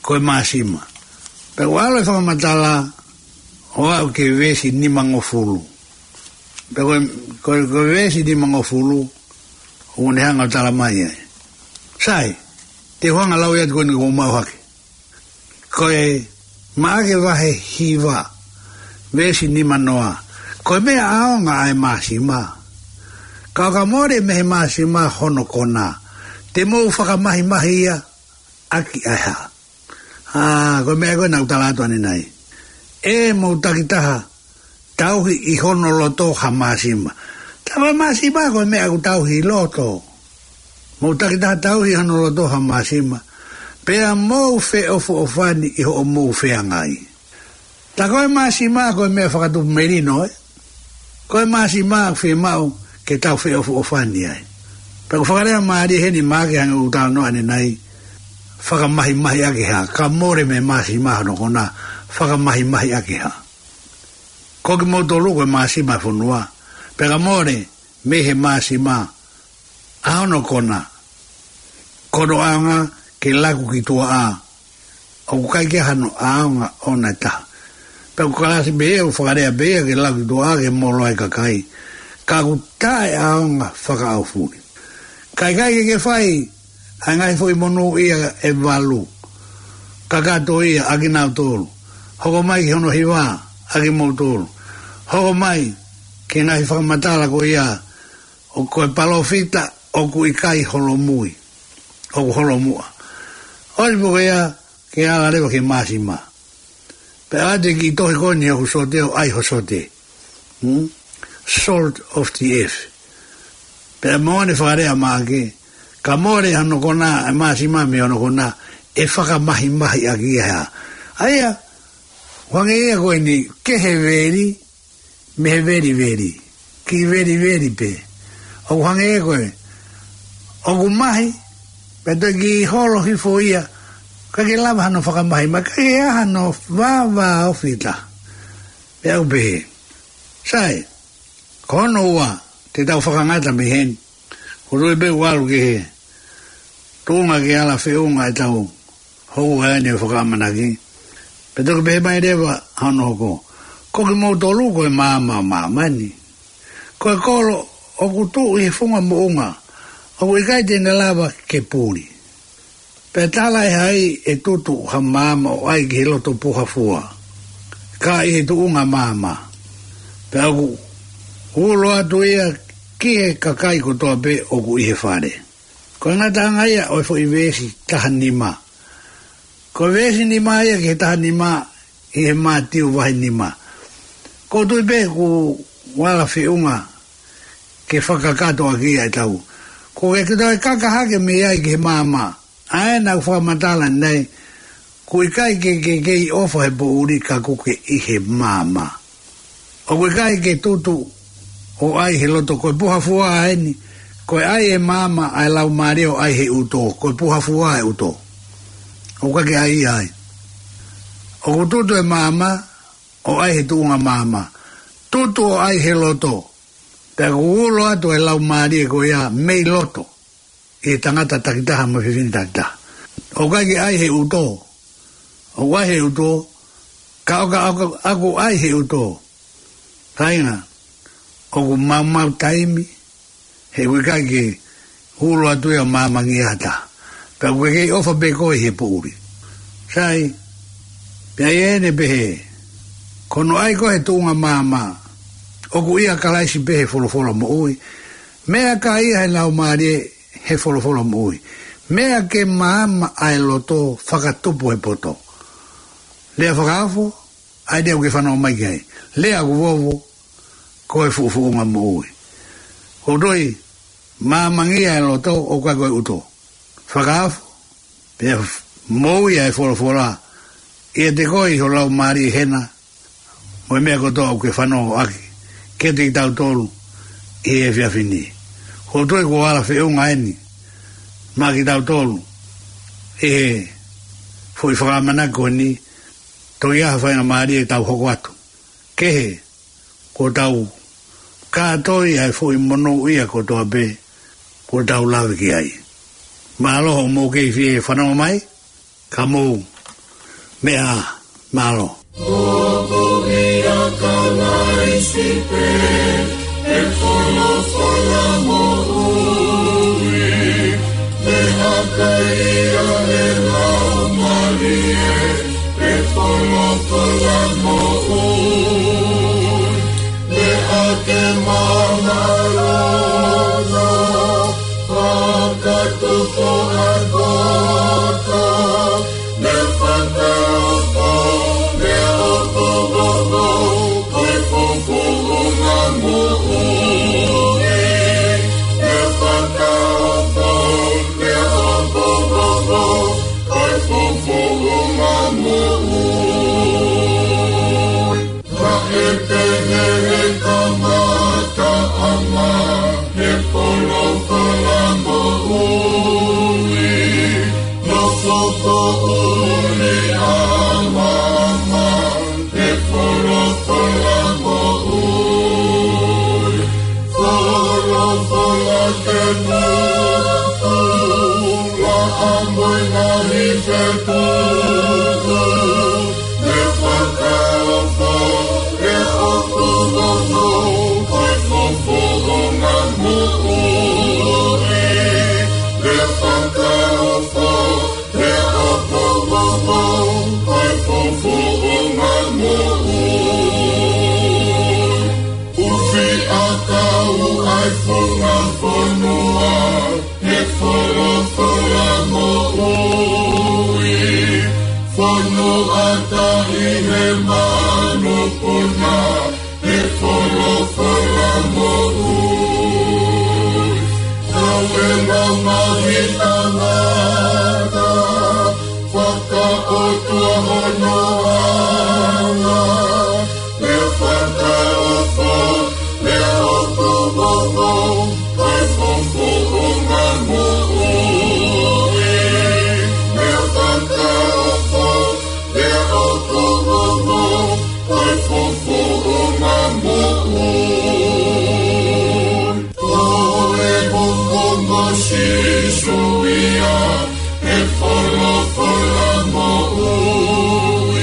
Ko e māsima. Pea ʻoku ʻalu e fakamatala, ʻo aʻu ki he veesi nimangofulu. Pea ko e, ko e, ko e veesi nimangofulu, ʻoku ne hanga ʻo tala mai ai. Sai, te u hanga lau ia atu ko eni ʻoku ou maʻu hake. Ko e Maʻake vahe hiva, veesi nimanoa. Ko e meʻa ʻaonga ʻa e māsima. Ka ʻo ka mole mei he māsima hono kona. Te mou fakamahimahi ia ʻaki ʻa e ha. ʻA, ko e meʻa ko ē naʻa ku tala atu ʻanenai. ʻE mou takitaha tauhi ʻi hono loto ha māsima. Tā ko e māsima ko e meʻa ʻoku tauhi ʻi loto. Mou takitaha tauhi ʻi hono loto ha māsima. Pea mou feʻofoʻofani ʻi hoʻomou feangai. Tā ko e māsima ko e meʻa fakatupu melino, ē. Ko e māsima ʻoku fiemaʻu ke tau feʻofoʻofani ai. Pea ʻoku fakalea mālie heni Maʻake hangē ʻoku talanoa ʻanenai. Fakamahimahi ʻaki ha. Ka mole mei he māsima hono kona. Fakamahimahi ʻaki ha. Ko kimoutolu ko e māsima e fonua. Pea ka mole mei he māsima ʻa hono kona. Ko hono ʻaonga ke laku ki tuʻa ʻa. ʻOku ʻikai ke hano ʻaonga ʻona ʻe taha. Pea ʻoku kalasi pē ia, ʻoku fakalea pē ia ke laku ki tuʻa ʻa ke molo ai kakai. Ka ʻoku taʻeʻaonga fakaʻaufuli. Ka ʻikai ke ke fai ʻa e ngaahi foʻi monūʻia ʻe valu. Kakato ia ʻa kinautolu. Hoko mai ki hono hiva ʻa kimoutolu. Hoko mai ki he ngaahi fakamatala ko ia ʻo ko e palōfita ʻoku ʻikai holomui. ʻOku holomuʻa. ʻOsi pē ko ia ke ala leva ki he māsima. Pea ʻoatu e kiʻi tohi ko eni ʻoku sote ʻo ʻai ho sote. Hmm? Salt of the earth. Pea mo ʻene fakalea Maʻake, ka mole hono kona, e māsima mei hono kona, ʻe fakamahimahi ʻaki ia ha. ʻA ia, ʻoku hangē ia ko eni, kehe veli, mei he veliveli. Kiʻi veliveli pē. ʻOku hangē ko e. ʻOku mahi, pea toe kiʻi holo hifo ia, ʻikai ke lava hano fakamahimahi, ʻikai ke ʻi ai hano vāvāofi ʻe taha. Pea u pehē. Sai, ko hono ua, te tau fakangata mei heni. Ko e tui pē ʻoku ʻalu ki he tuʻunga ke ala feʻunga ʻetau houʻeiki ʻo fakaʻamanaki. Pea toki pehē mai leva hono hoko. Ko kimoutolu ko e maama ʻo māmani. Ko e kolo ʻoku tuʻu ʻi he funga moʻunga, ʻoku ʻikai te ne lava ke puli. Pea talaʻehai ʻe Tutu ha maama ʻo ʻai ki he loto puha fua, ka ʻi he tuʻunga maama. Pea ʻoku ulo atu ia ki he kakai kotoa pē ʻoku ʻi he fale. Ko e ngataʻanga ia ʻo e foʻi veesi taha nima. Ko e veesi nima ia ki he taha nima ʻi he Mātiu vahe nima. ʻOku ou tui pē ʻoku ala feʻunga ke fakakakato ʻaki ia ʻe tau. Ko e ke toe kaka hake mei ai ki he maama. ʻA ē naʻa ku fakamatala nei, ʻoku ʻikai ke, ke, ke kei ʻofa he poʻuli ka ʻoku ke ʻi he maama. ʻOku ʻikai ke Tutu ʻo ʻai he loto, ko e puha fua eni, ko e ʻai ʻe maama ʻa e laumālie ʻo ʻai he ʻuto, ko e puha fua ʻe ʻuto. ʻOku ʻikai ke ʻai ia ai. ʻOku Tutu ʻe maama, ʻo ʻai he tuʻunga maama. Tutu ʻo ʻai he loto. Pea ʻoku ulo atu e laumālie ko ia mei loto ʻi he tangata takitaha mo e fefine takitaha. ʻOku ʻikai ke ʻai he ʻuto. ʻOku ʻai he ʻuto. Ka ʻoka, ʻoka, ʻoku ʻai he ʻuto. Kāinga, ʻoku maumau taimi, he ʻoku ʻikai ke ulo atu ia ʻo maamangia ha taha. Pea ʻoku ke kei ʻofa pē koe he poʻuli. Sai, pea ʻi heʻene pehē, ko hono ʻai ko ē he tuʻunga maama, ʻoku ʻia Kalaisi pē he folofola moʻui. Meʻa ka ʻi ai e laumālie he folofola moʻui. Meʻa ke maama ʻa e loto fakatupu he poto. Lea fakaofo, ʻa e lea ʻoku ke fanongo mai ki ai. Lea ʻoku vovo, ko e fuʻufuʻunga moʻui. ʻOku toe maamangia e loto ʻoku ʻikai ko e ʻuto. Fakaofo, pea f-, moʻui ʻa e folofola. ʻIate koe ʻi ho laumālie hena, mo e meʻa kotoa ʻoku ke fanongo ʻaki, kiate kitautolu, ʻi he efiafi ni. ʻOku ou tui kuo ala feʻunga eni, maʻa kitautolu, ʻi he foʻi fakaʻamanaki ko eni, toki ʻi ai ha faingamālie ke tau hoko atu. Kehe, kuo tau kātoi ʻa e foʻi monūʻia kotoa pē, kuo tau lave ki ai. Mālō hoʻomou kei fie fanongo mai, ka mou meʻa ā, mālō. Ko ia Kalaisi pē, ʻe folofola moʻui, ʻe haka ia ʻe laumālie, ʻe folofola moʻui, ʻe hake maʻa e loto, fakatupu ʻa e poto, ʻe fakaofo, ʻe ʻoku vovo, ko e fuʻufuʻunga moʻui, ʻe fakaofo, ʻe ʻoku vovo, ko e fuʻufuʻunga moʻui. Naʻe pehē he kamataʻanga, ʻe folofola moʻui, nofo poʻuli ʻa māmani, ʻe folofola moʻui. Folofola ke putu, ʻa e moʻui ngaahi fetuʻu, ʻe fakaofo, ʻe ʻoku vovo, ko e fuʻufuʻunga moʻui, ʻe fakaofo, ʻe ʻoku vovo, ko e fuʻufuʻunga moʻui. ʻUfi ʻakau ʻa e funga fonua, ʻe folofola moʻui, fonua taʻi he manupuna, ʻe folofola moʻui. Kau e ngaahi tangata, fakaʻotua hono anga, ʻe fakaofo, ʻe ʻoku vovo, ko e fuʻufuʻunga moʻui, ʻe fakaofo, ʻe ʻoku vovo, ko e fuʻufuʻunga moʻui. Ko e moʻunga Sīsū ia, ʻe folofola moʻui,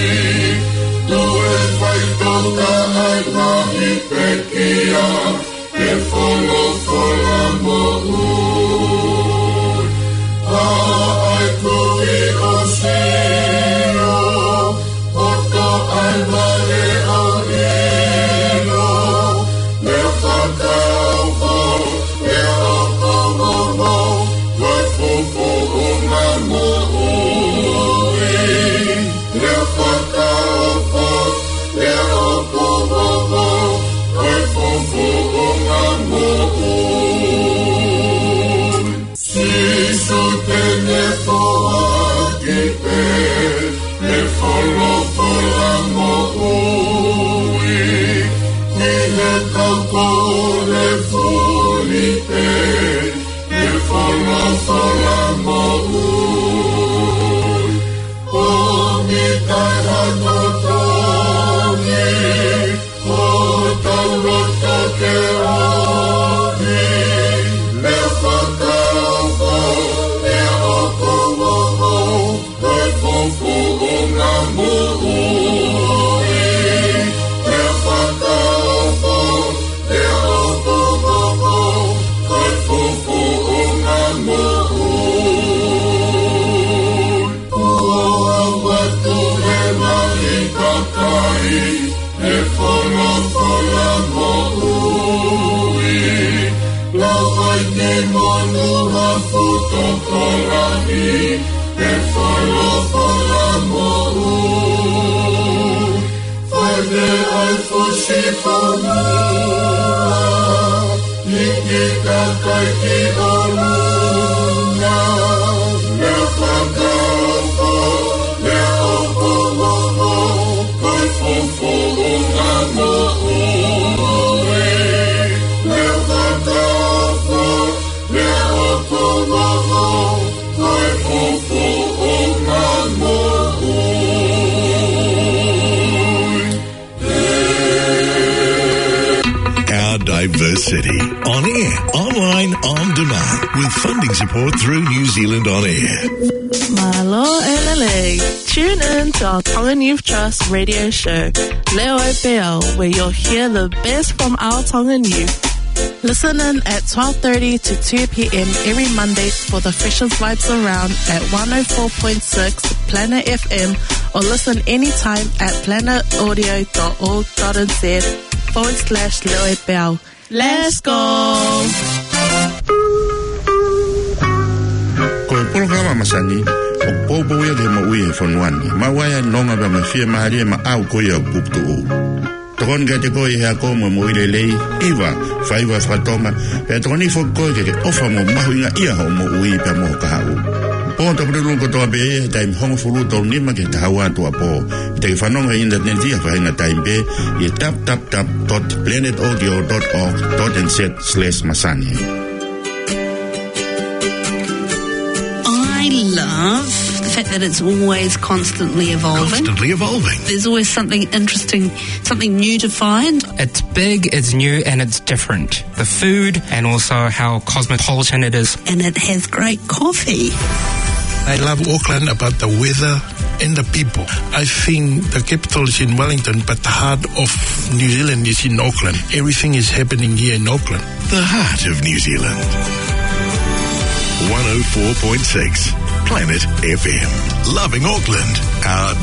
Kaha kotoa ni, ʻo taulata ke ʻomi, lea fakaofo, lea ʻoku moʻo, ko e fuʻu fuʻunga moʻui, lea fakaofo, lea ʻoku moʻo, ko e fuʻu fuʻunga moʻui. Kuo ʻoatu ʻe he Lahi kakai ʻa e folofola moʻui. Lau ai ki monu ha fuʻu tokolahi ʻa e folofola moʻui. Fai ai fusi fonua, ʻi he kakai ki ʻolunga, lea fakaofo, lea ʻoku moʻo, ko e fuʻu fuʻunga moʻui, lea fakaofo, lea ʻoku moʻo, ko e fuʻu fuʻunga moʻui. Our diversity. On air, online, on demand. With funding support through New Zealand On Air. Mālō e lelei. Tune in to our Tongan Youth Trust radio show, Leo Peau, where you'll hear the best from our Tongan youth. Listen in at twelve thirty to two p.m. every Monday for the freshest vibes around at one oh four point six Planet F M, or listen anytime at planetaudio.org.nz forward slash Leo Peau. Let's go! Ko e polokalama masani ʻoku poupou ia ki he moʻui ʻi he fonua ni. Maʻu ai ʻa e nonga pea mo e fiemālie maʻau ko ia ʻoku puputuʻu. Tokoni kiate koe ʻi he ako mo e moʻui lelei, hiva, faiva faka-Tonga, pea tokoni foki koe ke ke ʻofa mo mahuʻingaʻia hoʻo moʻui pea mo ho kahaʻu. Pō tapululu kotoa pē he taimi hongofulu tolu nima ki he taha ua tuʻuapō. ʻE te ke fanongo he ʻinitaneti ʻi ha faʻahinga taimi pē ʻi he www.planetaudio.org.nz/masani. I love the fact that it's always constantly evolving. Constantly evolving. There's always something interesting, something new to find. It's big, it's new, and it's different. The food and also how cosmopolitan it is. And it has great coffee. I love Auckland about the weather and the people. I think the capital is in Wellington, but the heart of New Zealand is in Auckland. Everything is happening here in Auckland. The heart of New Zealand. One oh four point six Planet F M. Loving Auckland. Our